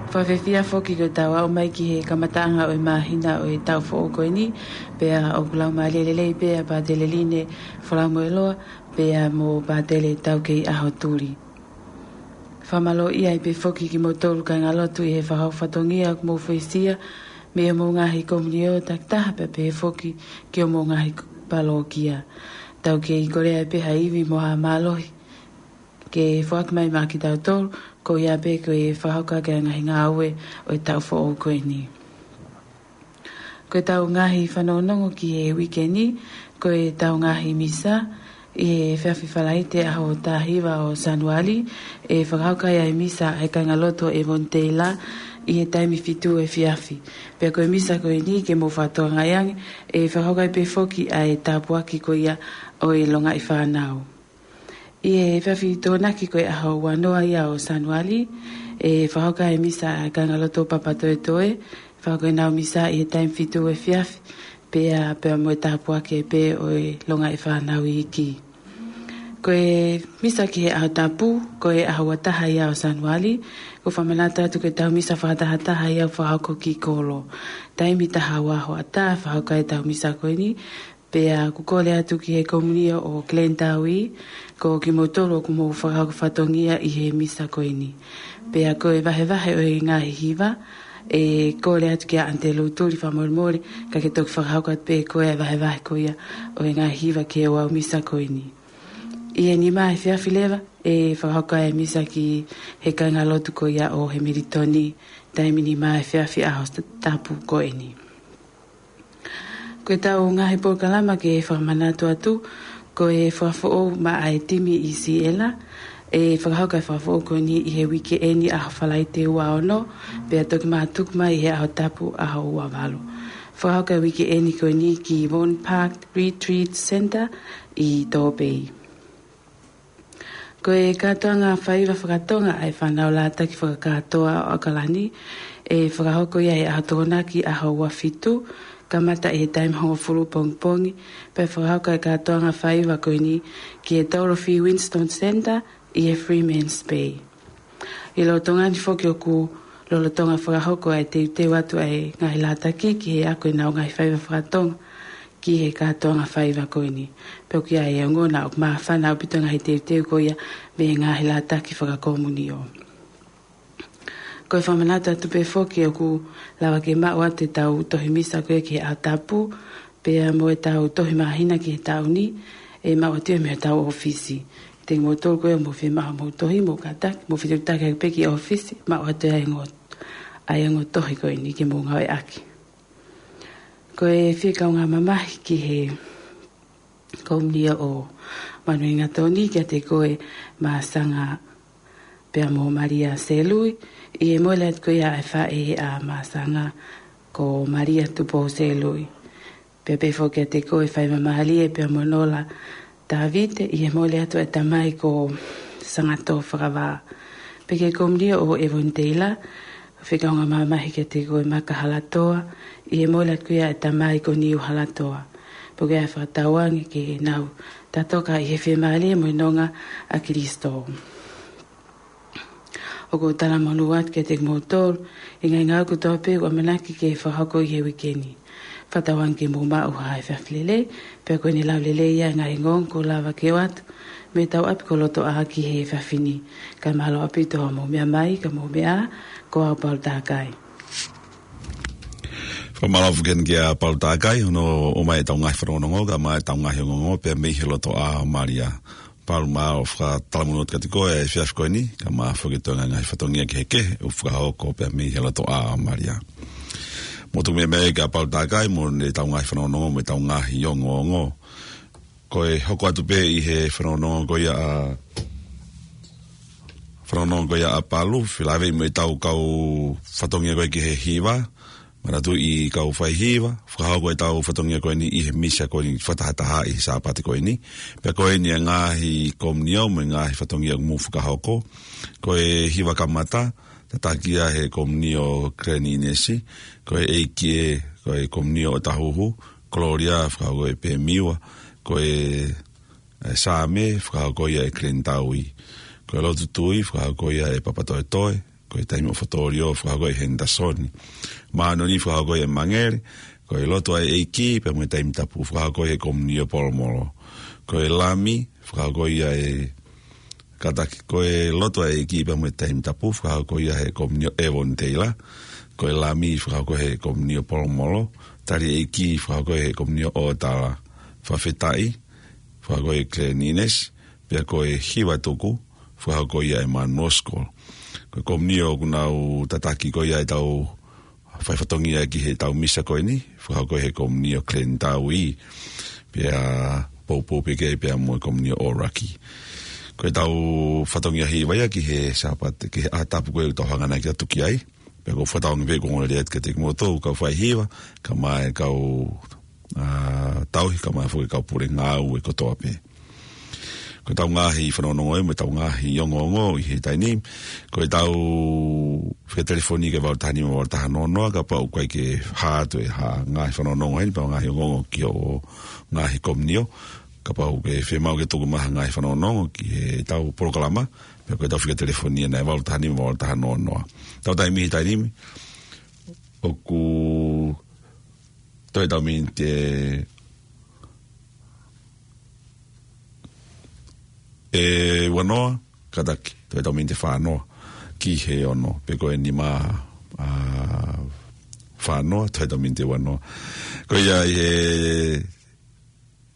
Fakafiefia foki ko ʻetau aʻu mai ki he kamataʻanga ʻo e māhina ʻo e taʻu foʻou ko eni, pea ʻoku laumālie lelei pē ʻa Pātele Line Folamoeloa, pea mo Pātele Taukeiʻaho Tuli. Fakamālō ai pē foki kimoutolu kāingalotu ʻi he fakahoko fatongia ʻoku mou foisia, mei homou ngaahi komiunitī takitaha pea pehē foki ki homou ngaahi palōkia. Tau kei kole ai pē ha ivi mo ha mālohi ke foaki mai maʻa kitautolu, ko ia pē ko e fakahoko ʻaki e ngaahi ngāue ʻo e taʻu foʻou ko eni. Ko ʻetau ngaahi fanongonongo ki he uike ni, ko ʻetau ngaahi misa, ʻi he efiafi Falaite ʻaho taha hiva ʻo Sānuali, ʻe fakahoko ai e misa ʻa e kāingalotu ʻo Evonitei La, ʻi he taimi fitu efiafi. Pea ko e misa ko eni ke mou fakatokangaʻi ange, ʻe fakahoko ai pē foki ʻa e tāpuaki ko ia ʻo e longaʻi fānau. ʻI he efiafi Tokonaki ko e ʻaho ua noa ia ʻo Sānuali, ʻe fakahoko ai e misa ʻa e kāingalotu ʻo Papatoetoe, fakahoko ʻenau misa ʻi he taimi fitu efiafi, pea, pea mo e tāpuaki pē ʻo e longaʻi fānau iiki. Ko e misa ki he ʻaho tapu, ko e ʻaho ua taha ia ʻo Sānuali, ʻoku fakamanatu atu ko ʻetau misa fakatahataha ia ʻoku fakahoko ki kolo. Taimi taha ua hoʻatā, fakahoko ai ʻetau misa ko eni, pea ʻoku kole atu ki he komiunitī ʻo Glendowie, ko kimoutolu ʻoku mou fakahoko fatongia ʻi he misa ko eni. Pea ko e vahevahe ʻo e ngaahi hiva, ʻe kole atu kia ʻAnitelū Tuli fakamolemole, ka ke toki fakahoko atu pē koe e vahevahe ko ia ʻo e ngaahi hiva ki he ouau misa ko eni. ʻI he nima efiafi leva, ʻe fakahoko ai e misa ki he kāingalotu ko ia ʻo Hemilitoni, taimi nima efiafi ʻaho tapu ko eni. Ko ʻetau ngaahi polokalama ke fakamanatu atu, ko e fakafoʻou maʻa e timi ʻi Siela, ʻe fakahoko e fakafoʻou ko eni ʻi he uike ni ʻaho Falaite ua ono, pea toki mātuku mai he ʻaho tapu ʻaho ua valu. Fakahoko e uike ni ko eni ki Vaughan Park Retreat Centre ʻi Tōpei. Ko e kātoanga faiva fakatonga ʻa e fānau lātaki fakakātoa ʻo ʻAokalani, ʻe fakahoko ia he ʻaho Tokonaki ʻaho ua fitu, kamata ʻi he taimi hongofulu pongipongi, pea fakahoko e kātoanga faiva ko eni ki he Dorothy Winston Centre ʻi he Freeman's Bay. ʻI he lolotonga ni foki ʻoku lolotonga fakahoko e teuteu atu ʻa e ngaahi lātaki ki he ako ʻenau ngaahi faiva fakatonga ki he kātoanga faiva ko eni. Pea ʻoku ʻi ai e ongo naʻa ʻoku māfana ʻaupito e ngaahi teuteu ko ia mei he ngaahi lātaki fakakomiunitī. Ko e fakamanatu atu pē foki ʻoku lava ke maʻu atu ʻetau tohi misa ko ia ki he ʻaho tapu, pea mo ʻetau tohi māhina ki he taʻu ni, ʻe maʻu atu ia mei hotau ʻōfisi. Te mou tolu ko ia mou fiemaʻu hoʻomou tohi, mou kātaki, mou fetuʻutaki pē ki he ʻōfisi, maʻu atu ia e ongo, ʻa e ongo tohi ko eni ke mou ngāueʻaki. Ko e fie kaungā mamahi ki he Komunio ʻo Manuingatoni kiate koe Masanga pea mo Malia Selui, ʻi he mole atu ko ia ʻa e faʻē ʻa Masanga ko Malia Tupou Selui. Pea pehē foki kiate koe Faimamālie pea mo Nola Tavite, ʻi he mole atu ʻa e tamai ko Sangato Fakavā. Pea ki he komunio ʻo Evoni Teila, fekau ange mamahi kiate koe Maka Halatoa, ʻi he mole atu ko ia ʻa e tamai ko Niu Halatoa. Pea ko ia fakatauange ke nau tatoka ʻi he fiemālie mo e nonga ʻa Kalisito. ʻOku ou talamonū atu kiate kimoutolu ʻi he ngaahi ngāue kotoa pē ʻoku ʻamanaki ke fakahoko ʻi he uike ni. Fakatauange ke mou maʻu ha efiafi lelei, pea ko ʻene lau lelei ia ʻa e ngaahi ongoongo kuo lava ke ʻoatu mei heʻetau ʻapi ko Lotoʻā ki he efiafi ni. Kae mālō ʻaupito hoʻomou meʻa mai, ka mou meʻa ā, ko au Paula Takai. Fakamālō foki heni kia Paula Takai, hono ʻomai ʻetau ngaahi fanongonongo, kae ʻumaʻā ʻetau ngaahi ongoongo, pea mei he Lotoʻā ʻo Malia. Paula, mālō fakatalamonū atu kiate koe he efiafi ko eni, kae ʻumaʻā foki e toenga ngaahi fatongia kehekehe ʻoku fakahoko pea mei he Lotoʻā ʻo Malia. Mou tuku meʻa mai kia Paula Takai, mo ʻetau ngaahi fanongonongo, mo ʻetau ngaahi ongoongo. Ko e hoko atu pē ʻi he fanongonongo ko ia ʻa, fanongonongo ko ia ʻa Palu, felāveʻi mo ʻetau kau fatongia ko ē ki he hiva, manatuʻi kau faihiva, fakahoko ʻetau fatongia ko eni ʻi he misa ko eni fakatahataha ʻi he Sāpate ko eni. Pea ko eni ʻa e ngaahi komunio mo e ngaahi fatongia ʻoku mou fakahoko. Ko e hiva kamata, tataki ia he komunio Klenīnesi, ko e ʻEiki ē, ko e komunio ʻo Tahuhu, Kolōlia, fakahoko ʻe Pemiua, ko e ʻe Saame, fakahoko ia ʻe Klenitaui. Ko e lotu tui, fakahoko ia ʻe Papatoetoe. Ko e taimi ʻo Fotolio, fakahoko ʻe Henderson. Māʻoniʻoni, fakahoko ʻe Mangele. Ko e lotu ʻa e ʻEiki, pea mo e Taimi Tapu, fakahoko ʻe he komunio Polomolo. Ko e Lami, fakahoko ia ʻe, kātaki, ko e lotu ʻa e ʻEiki, pea mo e Taimi Tapu, fakahoko ia ʻe he komunio Evoni Teila. Ko e Lami, fakahoko ʻe he komunio Polomolo. Tali ʻEiki, fakahoko ʻe he komunio ʻOtala. Fakafetaʻi, fakahoko ʻe Klenīnesi, pea ko e hiva tuku, fakahoko ia ʻe Manuosko. Ko e komunio ʻoku nau tataki ko ia ʻetau fai fatongia ki heʻetau misa ko eni, fakahoko ʻe he komunio Klenitaui, pea poupou pē ki ai pea mo e komunio ʻOlaki. Ko ʻetau fatongia hiva ia ki he Sāpate, ki he ʻaho tapu ko ē ʻoku tau hanga ʻaki ʻo tuku ai, pea ʻoku ou fakatauange pē ʻoku ongo lelei atu kiate kimoutolu kau faihiva, kae ʻumaʻā e kau, ā, tauhi, kae ʻumaʻā foki e kau pule ngāue kotoa pē. Ko ʻetau ngaahi fanongonongo ē, mo ʻetau ngaahi ongoongo ʻi he taimi ni. Ko ʻetau fika telefoni ki he valu taha nima valu taha noa noa, kapau ʻoku ʻikai ke hā atu e hā ngaahi fanongonongo heni, pe ngaahi ongoongo ki hoʻo ngaahi komunio. Kapau ʻoku ke fiemaʻu ke tuku mai ha ngaahi fanongonongo ki heʻetau polokalama, pea ko ʻetau fika telefoni ena ʻe valu taha nima valu taha noa noa. Tau taimi he taimi ni, ʻoku toe ʻetau miniti ʻe ua noa, kātaki, toe ʻetau miniti ʻe fā noa, ki he ono, pe ko e nima, ā, fā noa, toe ʻetau miniti ʻe ua noa. Ko ia ʻi he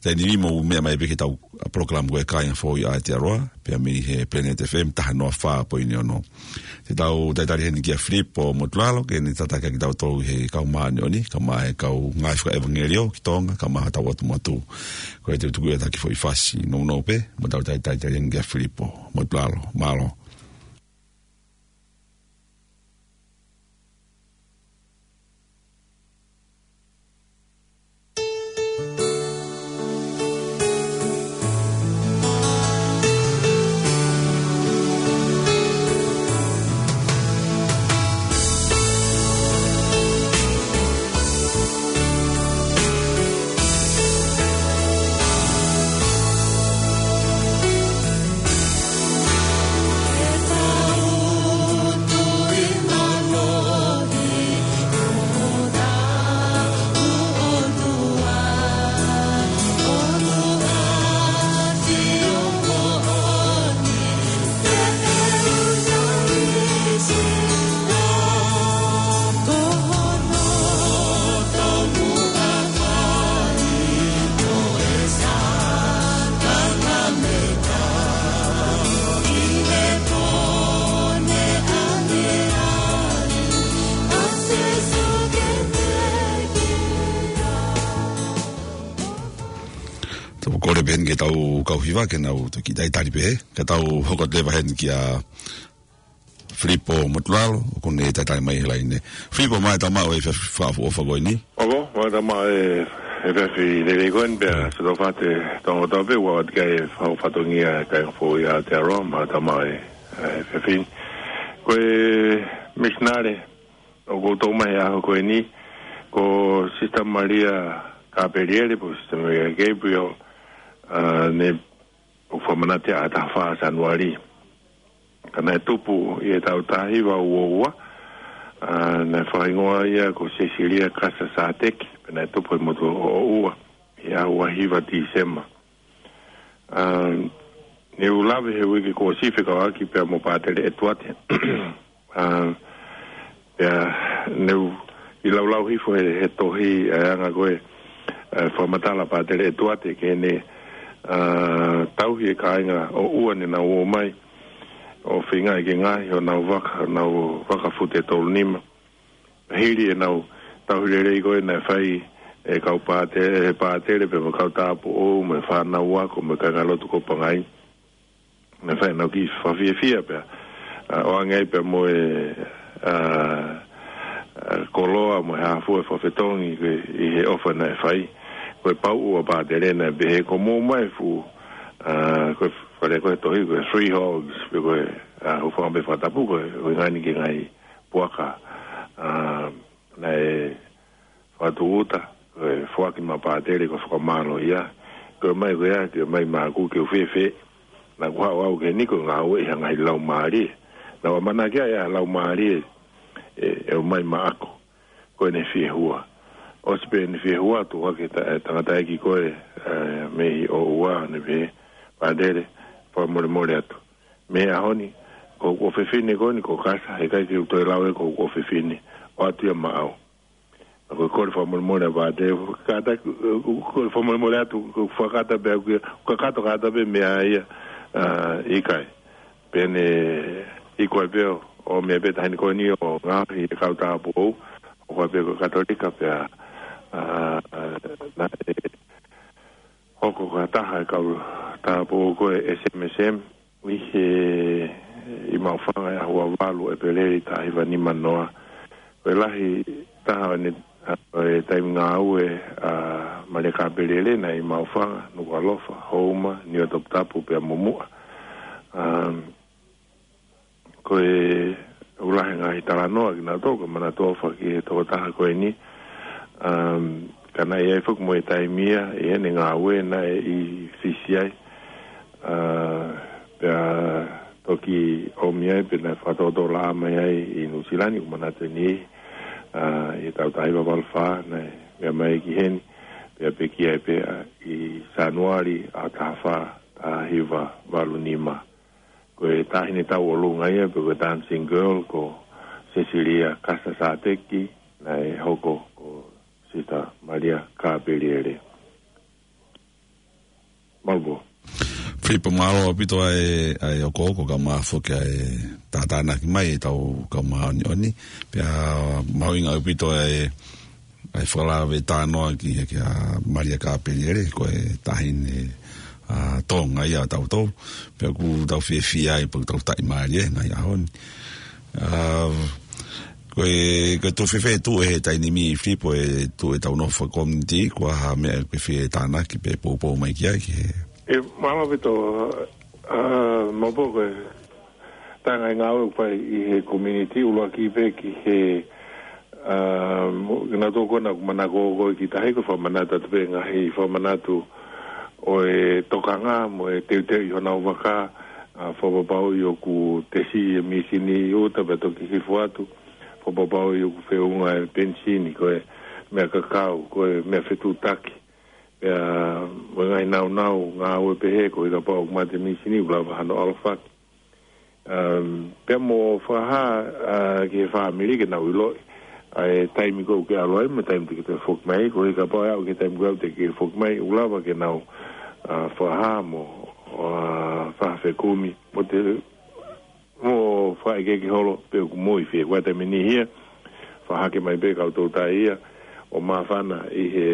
taimi ni mou meʻa mai pē ki heʻetau polokalama ko e Kāinga Foʻou ʻi Aotearoa, pea mei he Planet F M taha noa fā poini ono. Te tau talitali heni kia Filipo Motulalo, ke ne tataki kitautolu ʻi he kau māʻoniʻoni, kae ʻumaʻā e kau ngāue fakaʻevangeliō ki Tonga, kae ʻumaʻā hotau ʻotu motu. Ko e tutuku ia taki foʻi fasi nounou pē, mou tau talitali heni kia Filipo Motulalo, mālō. ʻetau kau hiva ke nau toki talitali pē, ka tau hoko atu leva heni kia Filipo Motulalo, ʻoku ne talitali mai he laine. Filipo, mālō e tau maʻu e fakaʻofoʻofa ko eni. ʻOku, mālō e tau maʻu e, e efiafi lelei ko eni pea, mm, Sotofate Tonga Tope, ua atu kai e fau fatongia kai ngā fō ia te aroa, mālō e tau maʻu e, e efiafi ni. Ko e misinale, ʻoku tau maʻu he ʻaho ko eni, ko Sister Malia Kapeliele, pe ko Sister Malia Gabriel, ʻa, ne ʻoku fakamanatu ʻa e taha fā Sānuali. Ka naʻe tupu ʻi he taʻu taha hiva ua ua, ʻa, naʻe fakahingoa ia ko Sesilia Kasa Sāteki, pea naʻe tupu he motu ʻo ʻOua, ʻi he ʻaho ua hiva Tīsema. ʻA, ne u lave he uike kuo ʻosi fekauʻaki pea mo Pātele ʻEtuate. ʻA, pea ne u ʻi laulau hifo he, he tohi, ʻa e anga ko ē, ʻa e fakamatala Pātele ʻEtuate ke ne, ʻa, tauhi e kāinga ʻo ʻOua ne nau ō mai ʻo feingaʻi ke ngaohi honau vaka, honau vaka fute tolu nima. Hili ʻenau tauhi lelei ko ē naʻe fai ʻe he kau pāte-, ʻe he pātele pea mo e kau tāupoʻou mo e fānau ako mo e kāingalotu ko Pangai. Naʻe fai ʻenau kiʻi fakafiefia pea, ʻa, ʻoange ai pea mo e, ʻa, ʻa, koloa mo e hā fua e fakafetongi ko ē ʻi he ʻofa naʻe fai. Ko e pauʻu ʻa Pātele naʻe pehē ko e mou mai fu, ʻa, ko e fale ko e tohi ko e three hogs, pe ko e, ʻa, hūfanga pē he fakatapu ko e, ko e ngaahi ke ngaahi puaka, ʻa, naʻe fakatūʻuta, ko e foaki maʻa Pātele ko e fakamālō ia. Ko e mai ko ia, ko e mai maʻaku ke u fēfē. Naʻa ku haʻu au ki heni ko e ngāue ʻi he ngaahi laumālie. Naʻa ku ʻamanaki ʻa e laumālie ʻe, ʻe ō mai maʻaku. Ko ʻene fiehua. ʻOsi pē ʻene fiehua, tuʻu hake ta-, e tangataʻeiki ko ē, ʻe, mei ʻOua, ne pehē, Pātele, fakamolemole atu. Mei he ʻaho ni, ko hoku ʻofefine ko eni, ko Kasa, heʻikai ke u toe lau ē ko hoku ʻofefine, ʻoatu ia maʻau. Ko e kole fakamolemole ʻa Pātele, kātaki, ko e kole fakamolemole atu, ko e fakakata pē au ki ai, kakato kātaki pē meʻa ia, ʻa, ʻikai. Pea ne iku ai pē ʻo, ʻo meʻa pē taʻahine ko eni ʻo ngaohi e kau tāupoʻou, ʻo kau pē ko e Katolika pea, ʻa, ʻa, naʻe hoko ko ha taha e kau tāupoʻou ko e S M S M, ʻi he, ʻi Maʻufanga ʻi he ʻaho ua valu ʻEpeleli taha hiva nima noa. Ko e lahi taha ʻo ʻene, ʻa, ʻo e taimi ngāue ʻa Malia Kapeliele naʻe ʻi Maʻufanga, Nukuʻalofa, Houma, Niuatoputapu pea mo Muʻa. Um, ko e ʻoku lahi e ngaahi talanoa kinautolu, ka manatu ʻofa ki he tokotaha ko eni. Um, ka naʻe ʻi ai foki mo e taimi ia, ʻi heʻene ngāue naʻe ʻi Fisi ai. ʻA, pea toki ʻomi ai, pea naʻe fakatōtōlaʻā mai ai ʻi Nuʻusila ni, ʻoku manatu eni, ʻa, ʻi he taʻu taha hiva valu fā, naʻe meʻa mai ki heni, pea pekia ai pē ʻi Sānuali ʻaho taha fā, taha hiva valu nima. Ko e taʻahine tauʻolunga ia, pe ko e dancing girl, ko Sesilia Kasa Sāteki, naʻe hoko ko Sister Malia Kapeliele. Mālō. Filipo, mālō ʻaupito ʻa e, ʻa e hokohoko kae ʻumaʻā foki ʻa e tātānaki mai ʻetau kau māʻoniʻoni. Pea mahuʻinga ʻaupito ʻa e, ʻa e fakalave talanoa ki he, kia Malia Kapeliele, ko e taʻahine, ʻa, Tonga ia ʻa tautolu. Pea ʻoku tau fiefia ai, pea ʻoku tau taʻimālie he ngaahi ʻaho ni. ʻA, ko e, ko e tuʻu fēfē tuʻu ʻe he taimi ni, Filipo, e tuʻu ʻetau nofo fakakominitī, ko e hā ha meʻa ʻoku ke fie tānaki pe poupou mai ki ai ki he. ʻE, mālō ʻaupito, ʻa, Malia, ko e taha e ngaahi ngāue ʻoku fai ʻi he kominitī, ʻuluaki pē ki he, ʻa, mo-, kinautolu ko ena ʻoku manako ko ē ki tahi, ko e fakamanatu atu pē ngaahi fakamanatu ʻo e tokanga mo e teuteu ʻi honau vaka, ʻa, fakapapauʻi ʻoku tesi e mīsini ʻi ʻuta pea toki hifo atu, fakapapauʻi ʻoku feʻunga e penisini, ko e meʻa kakau, ko e meʻa fetuʻutaki. Pea mo e ngaahi naunau ngāue pehē, koeʻuhi kapau ʻoku mate e mīsini, ʻoku lava hano ʻalofaki. Um, pea mo fakahā, ʻa, ki he fāmili ke nau ʻiloʻi ʻa e taimi ko ē ʻoku ke ʻalu ai, mo e taimi te ke toe foki mai, koeʻuhi kapau ʻe aʻu ki he taimi ko ē te ke foki mai, ʻoku lava ke nau, ʻa, fakahā mo, ʻa, fakafekumi, mo te, mo fakaʻekeʻeke holo pe ʻoku mou ʻi fē, ko e taimi ni hia, fakahake mai pē kau toutai ia, ʻo māfana ʻi he,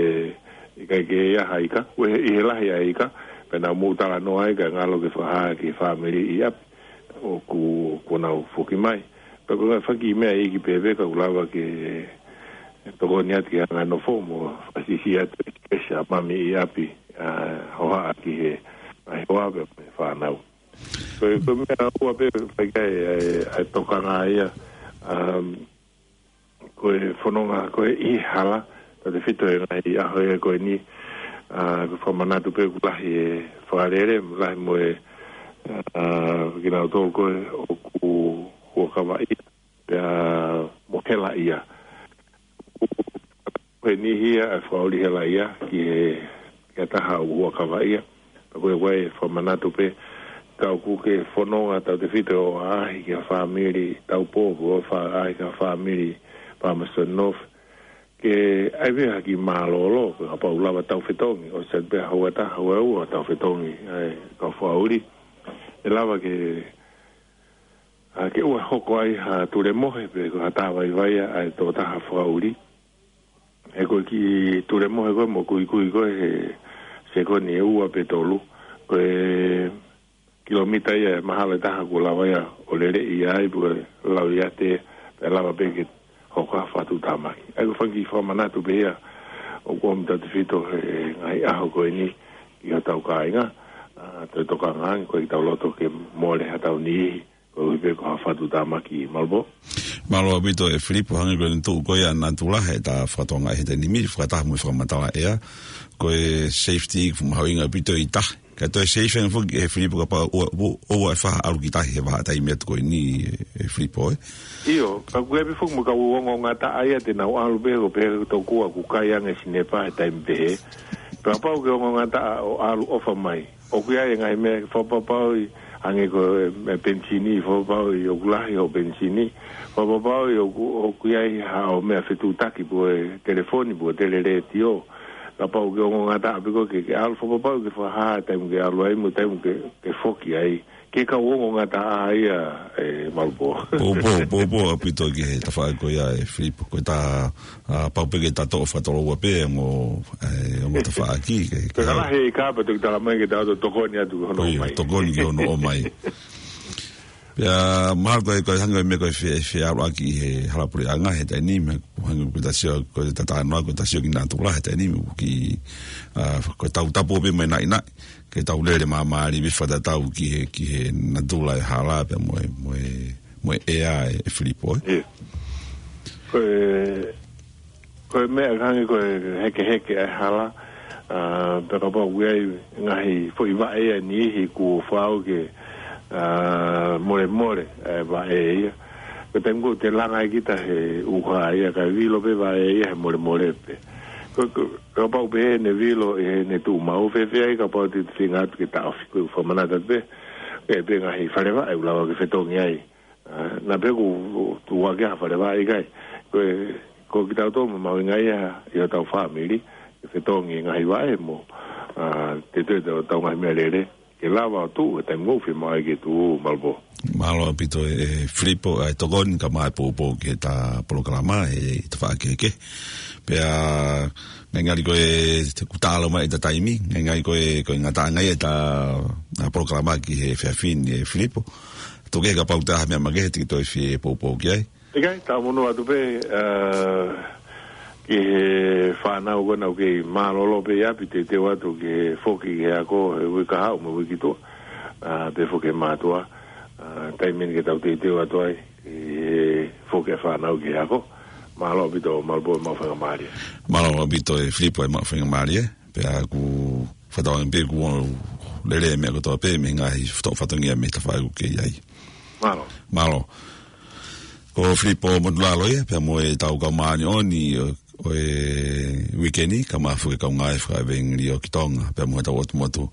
ʻikai ke ʻi ai ha ika, ʻi he, ʻi he lahi ʻa e ika, Pea nau mou talanoa ai kae ngalo ke fakahā ki he fāmili ʻi ʻapi ʻoku, kuo nau foki mai. Pea ko e ngaahi fanga kiʻi meʻa iiki pē pē ka ʻoku lava ke tokoni atu ki he anga e nofo mo fakasiʻisiʻi atu e space ʻa mami ʻi ʻapi, ʻa, hohaʻa ki he ngaahi hoa pea mo e fānau. Ko e, ko e meʻa ua pē fai ki ai e, e tokanga ia, um, ko e fononga ko ē ʻi he hala, tautefito he ngaahi ʻaho ia ko eni, ʻa, ko e fakamanatu pē ʻoku lahi e fakalele, lahi mo e, ʻa, kinautolu ko ē ʻoku huʻakavaʻia, pea mo helaʻia. Ko e niʻihi ia ʻa e fakaʻuli helaʻia ki he, ki ha taha ʻoku huʻakavaʻia. Pea ko e, ko e fakamanatu pē, ka ʻoku ke fononga tautefito ʻo ʻaʻahi ki ha fāmili taupō, ʻo fa-, ʻaʻahi ki ha fāmili Palmerston North. Ke ʻai pē ha kiʻi mālōlō, pea kapau ʻoku lava tau fetongi, ʻosi atu pē ha ua taha, ua ua tau fetongi, ʻa e kau fakaʻuli. ʻE lava ke, ʻa, ke ʻoua ʻe hoko ai ha tulemohe pe ko ha tāvaivai ʻa e tokotaha fakaʻuli. He ko e kiʻi tulemohe ko ē mo kuikui ko ē he sekoni ʻe ua pe tolu, ko e kilomita ia ʻe mahalo ʻe taha kuo lava ia ʻo lele ia ai, pe ko e lau ia te, pea lava pē ke hoko ha fakatuʻutāmaki. ʻA ia ko e fanga kiʻi fakamanatu pē ia ʻoku ʻomi tautefito he ngaahi ʻaho ko eni ki hotau kāinga, ʻa, toe tokanga ange, ʻoku ʻikai ke tau loto ke mole haʻatau niʻihi, koeʻuhi pē ko ha fakatuʻutāmaki, Malopō. Mālō ʻaupito ʻe Filipo, hangē ko ʻene tuʻu ko ia ʻa natula he ta fakatokangaʻi he taimi ni, fakataha mo e fakamatala ʻea. Ko e safety ʻoku mahuʻinga ʻaupito ʻi tahi. Ka toe safe ange foki ʻe Filipo kapau ʻoua, ʻoua, ʻoua ʻe faʻa ʻalu ki tahi he vahaʻa taimi atu ko eni ʻe Filipo, ē. ʻIo, ka ʻoku ʻi ai pē foki mo e kau ongoongataʻa ia te nau ʻalu pē, ko e pehē tokua ʻoku kai ange sinepa he taimi pehē. Pea kapau ke ongoongataʻa ʻo ʻalu ʻofa mai, ʻoku ʻi ai e ngaahi meʻa fakapapauʻi, hangē ko e, e penisini, fakapapauʻi ʻoku lahi hoʻo penisini, fakapapauʻi ʻoku, ʻoku ʻi ai haʻo meʻa fetuʻutaki pe ko e telefoni pe ko e telelētio. Kapau ke ongoongataʻa pē koe ke, ke ʻalu, fakapapauʻi ke fakahā e taimi ke ʻalu ai mo e taimi ke, ke foki ai. Ke kau ongoongataʻa ia, ʻe Malopō. Poupou, poupou ʻaupito ki he tafaʻaki ko ia ʻe Filipo. Ko e ta, ʻa, pau pē ke ta toʻo fakatoloua pē ʻa e ongo, ʻa e ongo tafaʻaki, ke, ke Pea ka lahi e ʻi ka pea toki tala mai ke ta ō ʻo tokoni atu ki hono ʻomai. Tokoni ki hono ʻomai. Pea mahalo ko e, ko e hangē ko e meʻa ko e fe-, feʻaluʻaki ʻi he hala puleʻanga he taimi ni, meʻa hangē ko e ta sio, ko e ta talanoa, ko e ta sio ki natula he taimi ni, ki, ʻa, ko e tau tapu pē mai naʻinaʻi, ke tau lele māmālie pē fakatatau ki he, ki he natula ʻo e hala pea mo e, mo e, mo e ʻea ʻe, ʻe Filipo, ē. ʻIo. Ko e, ko e meʻa hangē ko e hekeheke ʻa e hala, ʻa, pea kapau ʻoku ʻi ai ngaahi foʻi vaʻe ia ʻe niʻihi kuo fau ke, ʻa, molemole ʻa e vaʻe ia. Ko e taimi ko ē te langa ai kita he ʻuha ia, kae vilo pē vaʻe ia he molemole pē. Ko, ko, kapau pē ʻene vilo ʻi heʻene tuʻu maʻu, fēfē ai kapau te te feinga atu ke taʻofi, ko e fakamanatu atu pē, ʻe pē ngaahi fale vaʻe ʻoku lava ke fetongi ai. ʻA, naʻa pē ʻoku tuʻu hake ha fale vaʻe ʻikai. Ko e, ko kitautolu mahuʻinga ia ʻi hotau fāmili, ke fetongi e ngaahi vaʻe mo, ʻa, te te tau, tau ngaahi meʻalele ke lava ʻo tuʻu he taimi ʻoku fiemaʻu ai ke tuʻu, Malopō. Mālō ʻaupito ʻe, ʻe Filipo, ʻa e tokoni kae ʻumaʻā e poupou ki he ta polokalama he tafaʻaki kehekehe. Pea, ngalingali ko e, te kuo taʻalo mai ʻeta taimi, ngalingali ko e, ko e ngataʻanga ia ʻeta, ʻa, polokalama ki he efiafi ni ʻe Filipo. Tuku kehe kapau ʻoku ʻi ai ha meʻa makehe te ke toe fie poupou ki ai. ʻIkai, tau monū atu pē, ʻa, ki he fānau ko ena ʻoku kei mālōlō pē ʻi ʻapi, teuteu atu ki he foki ki he ako he uike kahaʻu mo e uike tuʻa. ʻA, pea foki e mātuʻa, ʻa, taimi eni ke tau teuteu atu ai ʻi he foki e fānau ki he ako. Mālō ʻaupito Malopō, maʻu faingamālie. Mālō ʻaupito ʻe Filipo, maʻu faingamālie. Pea ʻoku fakatauange pē kuo lele e meʻa kotoa pē mei he ngaahi fato-, fatongia mei he tafaʻaki ʻoku ke ʻi ai. Mālō. Mālō. Ko Filipo Motulalo ia, pea mo e tau kau māʻoniʻoni ʻo, ʻo e uike ni, kae ʻumaʻā foki e kau ngāue fakaʻevangeliō ki Tonga, pea mo e tau ʻotu motu.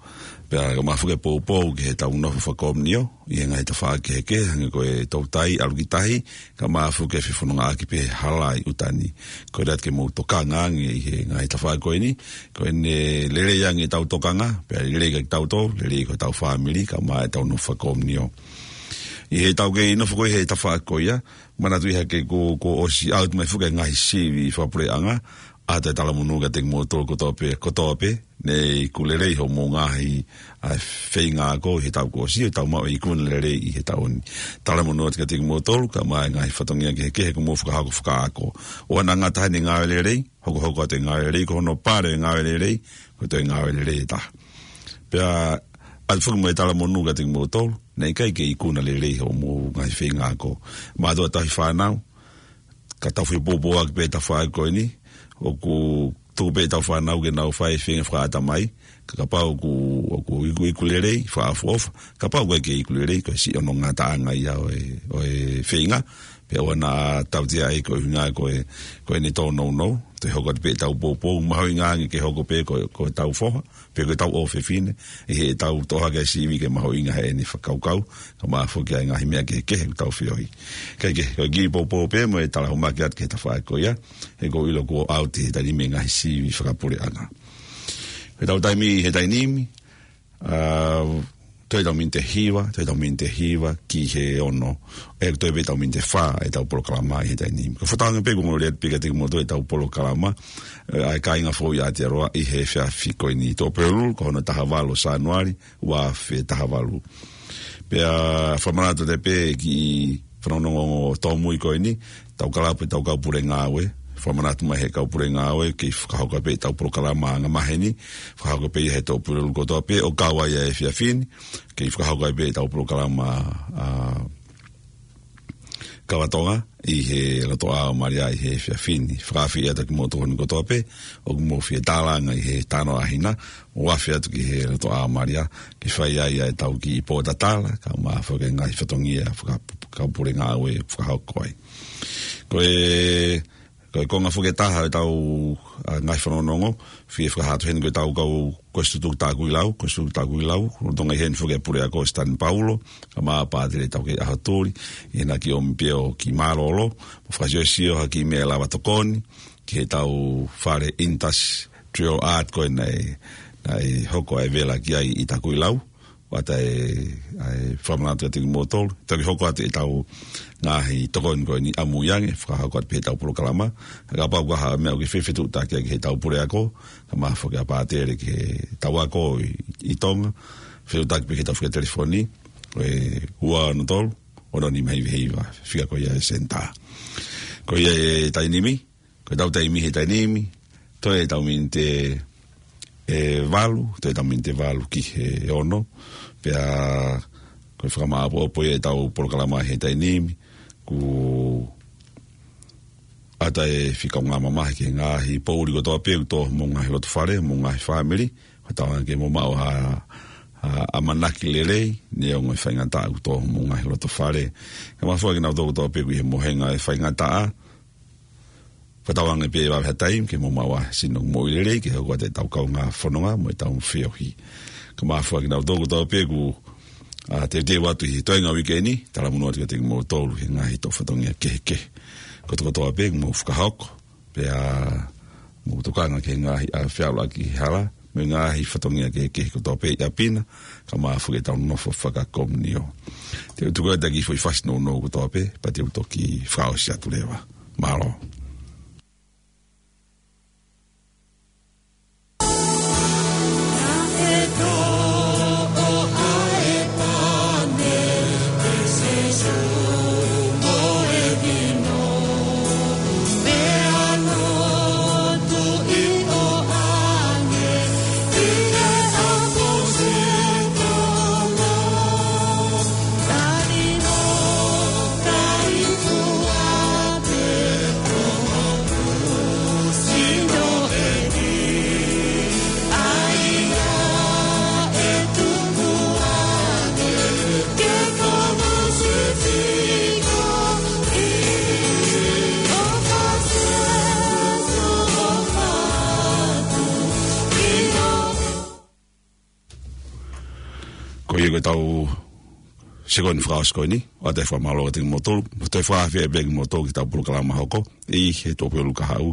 Pea kae ʻumaʻā foki e poupou ki he tau nofo fakakomiunio ʻi he ngaahi tafaʻaki kehekehe, hangē ko e toutai, ʻalu ki tahi, kae ʻumaʻā foki e fefonongaʻaki pē he hala ʻi ʻuta ni. Ko ia atu ke mou tokanga ange ʻi he ngaahi tafaʻaki ko eni, ko ʻene lelei ange ʻetau tokanga, pea lelei kiate kitautolu, lelei ki hotau fāmili, kae ʻumaʻā ʻetau nofo fakakomiunio. ʻI he tau kei nofo ko ē he tafaʻaki ko ia, manatuʻi hake kuo, kuo ʻosi ʻalu mai foki e ngaahi sivi fakapuleʻanga, ʻA e talamonū kiate kimoutolu kotoa pē, kotoa pē, ne iku lelei hoʻomou ngaahi, ʻa e feinga ako ʻi he taʻu kuo ʻosi, ʻo tau maʻu e ikuna lelei ʻi he taʻu ni. Talamonū atu kiate kimoutolu, kae ʻumaʻā e ngaahi fatongia kehekehe kuo mou fakahoko fakaako. ʻOua naʻa ngata he ngāue lelei, hokohoko atu e ngāue lelei, ko hono pale e ngāue lelei, ko e toe ngāue lelei ʻe taha. Pea, ʻoatu foki mo e talamonū kiate kimoutolu, naʻe ʻikai ke ikuna lelei hoʻomou ngaahi feinga ako. Mātuʻa tauhi fānau, ka tau fai poupouaki pē tafaʻaki ko eni, ʻoku tuku pē ʻetau fānau ke nau fai e feinga fakaʻatamai, ka kapau ʻoku, ʻoku iku, iku lelei, fakaʻofoʻofa, kapau ʻoku ʻikai ke iku lelei, ko e siʻi ʻono ngataʻanga ia ʻo e, ʻo e feinga, pea ʻoua naʻa tautea ai ko e ʻuhinga ko e, ko ʻene tōnounou, toe hoko atu pē ʻetau poupou, mahuʻinga ange ke hoko pē ko, ko ʻetau foha, pe ko ʻetau ʻofefine, ʻi heʻetau toʻo hake e sivi ke mahuʻinga heʻene fakakaukau, kae ʻumaʻā foki ʻa e ngaahi meʻa kehekehe ʻoku tau feohi. Kae kehe, ko e kiʻi poupou pē mo e talahumaki atu ki he tafaʻaki ko ia, he ʻoku ou ʻilo kuo ʻauti he taimi ni e ngaahi sivi fakapuleʻanga. Ko ʻetau taimi he taimi ni, ʻa, toe ʻetau miniti ʻe hiva, toe ʻetau miniti ʻe hiva ki he ono. ʻE toe pē ʻetau miniti ʻe fā ʻetau polokalama ʻi he taimi ni. Ko e fakatauange pē kuo ongo lelei atu pē kiate kimoutolu ʻetau polokalama, ʻe, ʻa e kāinga foʻou ʻi Aotearoa ʻi he efiafi ko eni. Tuʻapulelulu, ko hono taha valu ʻo Sānuali, ua afe taha valu. Pea fakamanatu atu pē ki he fanongonongo tōmui ko eni, ʻetau kalapu ʻetau kau pule ngāue, fakamanatu mai he kau pule ngāue, kei fakahoko pē ʻetau polokalama angamaheni, fakahoko pē ia he Tuʻapulelulu kotoa pē, ʻo kau ai ʻa e efiafi ni, kei fakahoko pē ʻetau polokalama, ʻa, Kava Tonga, ʻi he lotoʻā ʻo Malia ʻi he efiafi ni. Fakaafe atu kiate kimoutolu kotoa pē, ʻoku mou fie tālanga ʻi he talanoa ʻa hina, ʻo afe atu ki he lotoʻā ʻo Malia, ke fai ai ʻa ʻetau kiʻi pōtatala, kae ʻumaʻā foki e ngaahi fatongia, faka-, kau pule ngāue, fakahoko ai. Ko e, ko e konga foki ʻe taha ʻetau, ʻa, ngaahi fanongonongo, fie fakahā atu heni ko ʻetau kau, ko e Sūtuku Takuilau, ko e Sūtuku Takuilau, lolotonga ʻi heni foki e puleako Stan Paulo, kae ʻumaʻā Pātele Taukei ʻAhotuli, ʻi heʻena kiʻi ʻomi pē ʻo kiʻi mālōlō, mo fakasiosio ha kiʻi meʻa ʻe lava tokoni, ki heʻetau fale Industrial Art ko ē naʻe, naʻe hoko ai e vela ki ai ʻi Takuilau, ʻoatu e, ʻa e fakamanatu kiate kimoutolu, toki hoko atu ʻetau ngaahi tokoni ko eni ʻamui ange, fakahoko atu pē ʻetau polokalama, kapau ko ha meʻa ʻoku ke fie fetuʻutaki ki heʻetau puleako, kae ʻumaʻā foki ʻa Pātele ki heʻetau ako ʻi, ʻi Tonga, fetuʻutaki pē ki heʻetau fika telefoni, ko e ua ono tolu, ono nima hiva hiva, fika ko ia e senitā. Ko ia e taimi ni, ko ʻetau taimi he taimi ni, toe ʻetau miniti ʻe valu, toe ʻetau miniti ʻe valu ki he ono, pea ko e fakamāʻopoʻopo ia ʻetau polokalama he taimi ni, kuo ʻatā e fika ngā mamahi ki he ngaahi poʻuli kotoa pē ʻoku tō homou ngaahi loto fale, homou ngaahi fāmili, fakatauange ke mou maʻu ha, ha ʻamanaki lelei, neongo e faingataʻa ʻoku tō homou ngaahi loto fale. Kae ʻumaʻā foki kinautolu kotoa pē ʻoku ʻi he mohenga e faingataʻa, fakatauange pē ʻe vave ha taimi ke mou maʻu ha sino moʻui lelei, ke hoko atu ʻetau kaungā fononga mo ʻetau feohi. Kae ʻumaʻā foki kinautolu kotoa pē ʻoku, ʻa, teuteu atu ʻi he toenga uike ni, talamonū atu kiate kimoutolu he ngaahi toʻu fatongia kehekehe. Kotokotoa pē ʻoku mou fakahoko, pea mou tokanga ki he ngaahi, ʻa, feʻaluʻaki hala, mo e ngaahi fatongia kehekehe kotoa pē ʻi ʻapi na, kae ʻumaʻā foki ʻetau nofo fakakomiunio. Te u tuku atu e kiʻi foʻi fasi nounou kotoa pē, pea te u toki fakaʻosi atu leva. Mālō. Ko ia ko ʻetau sekoni fakaʻosi ko eni, ʻoatu e fakamālō kiate kimoutolu, mo toe fakaafe pē kimoutolu ki heʻetau polokalama hoko, ʻi he Tuʻapulelulu kahaʻu,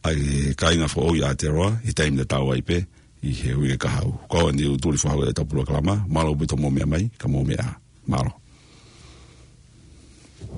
ʻa e kāinga foʻou ʻi Aotearoa, ʻi he taimi tatau ai pē, ʻi he uike kahaʻu. Ko au eni ʻOtua Tuli Fahu ʻetau polokalama, mālō ʻaupito hoʻomou meʻa mai, ka mou meʻa ā. Mālō.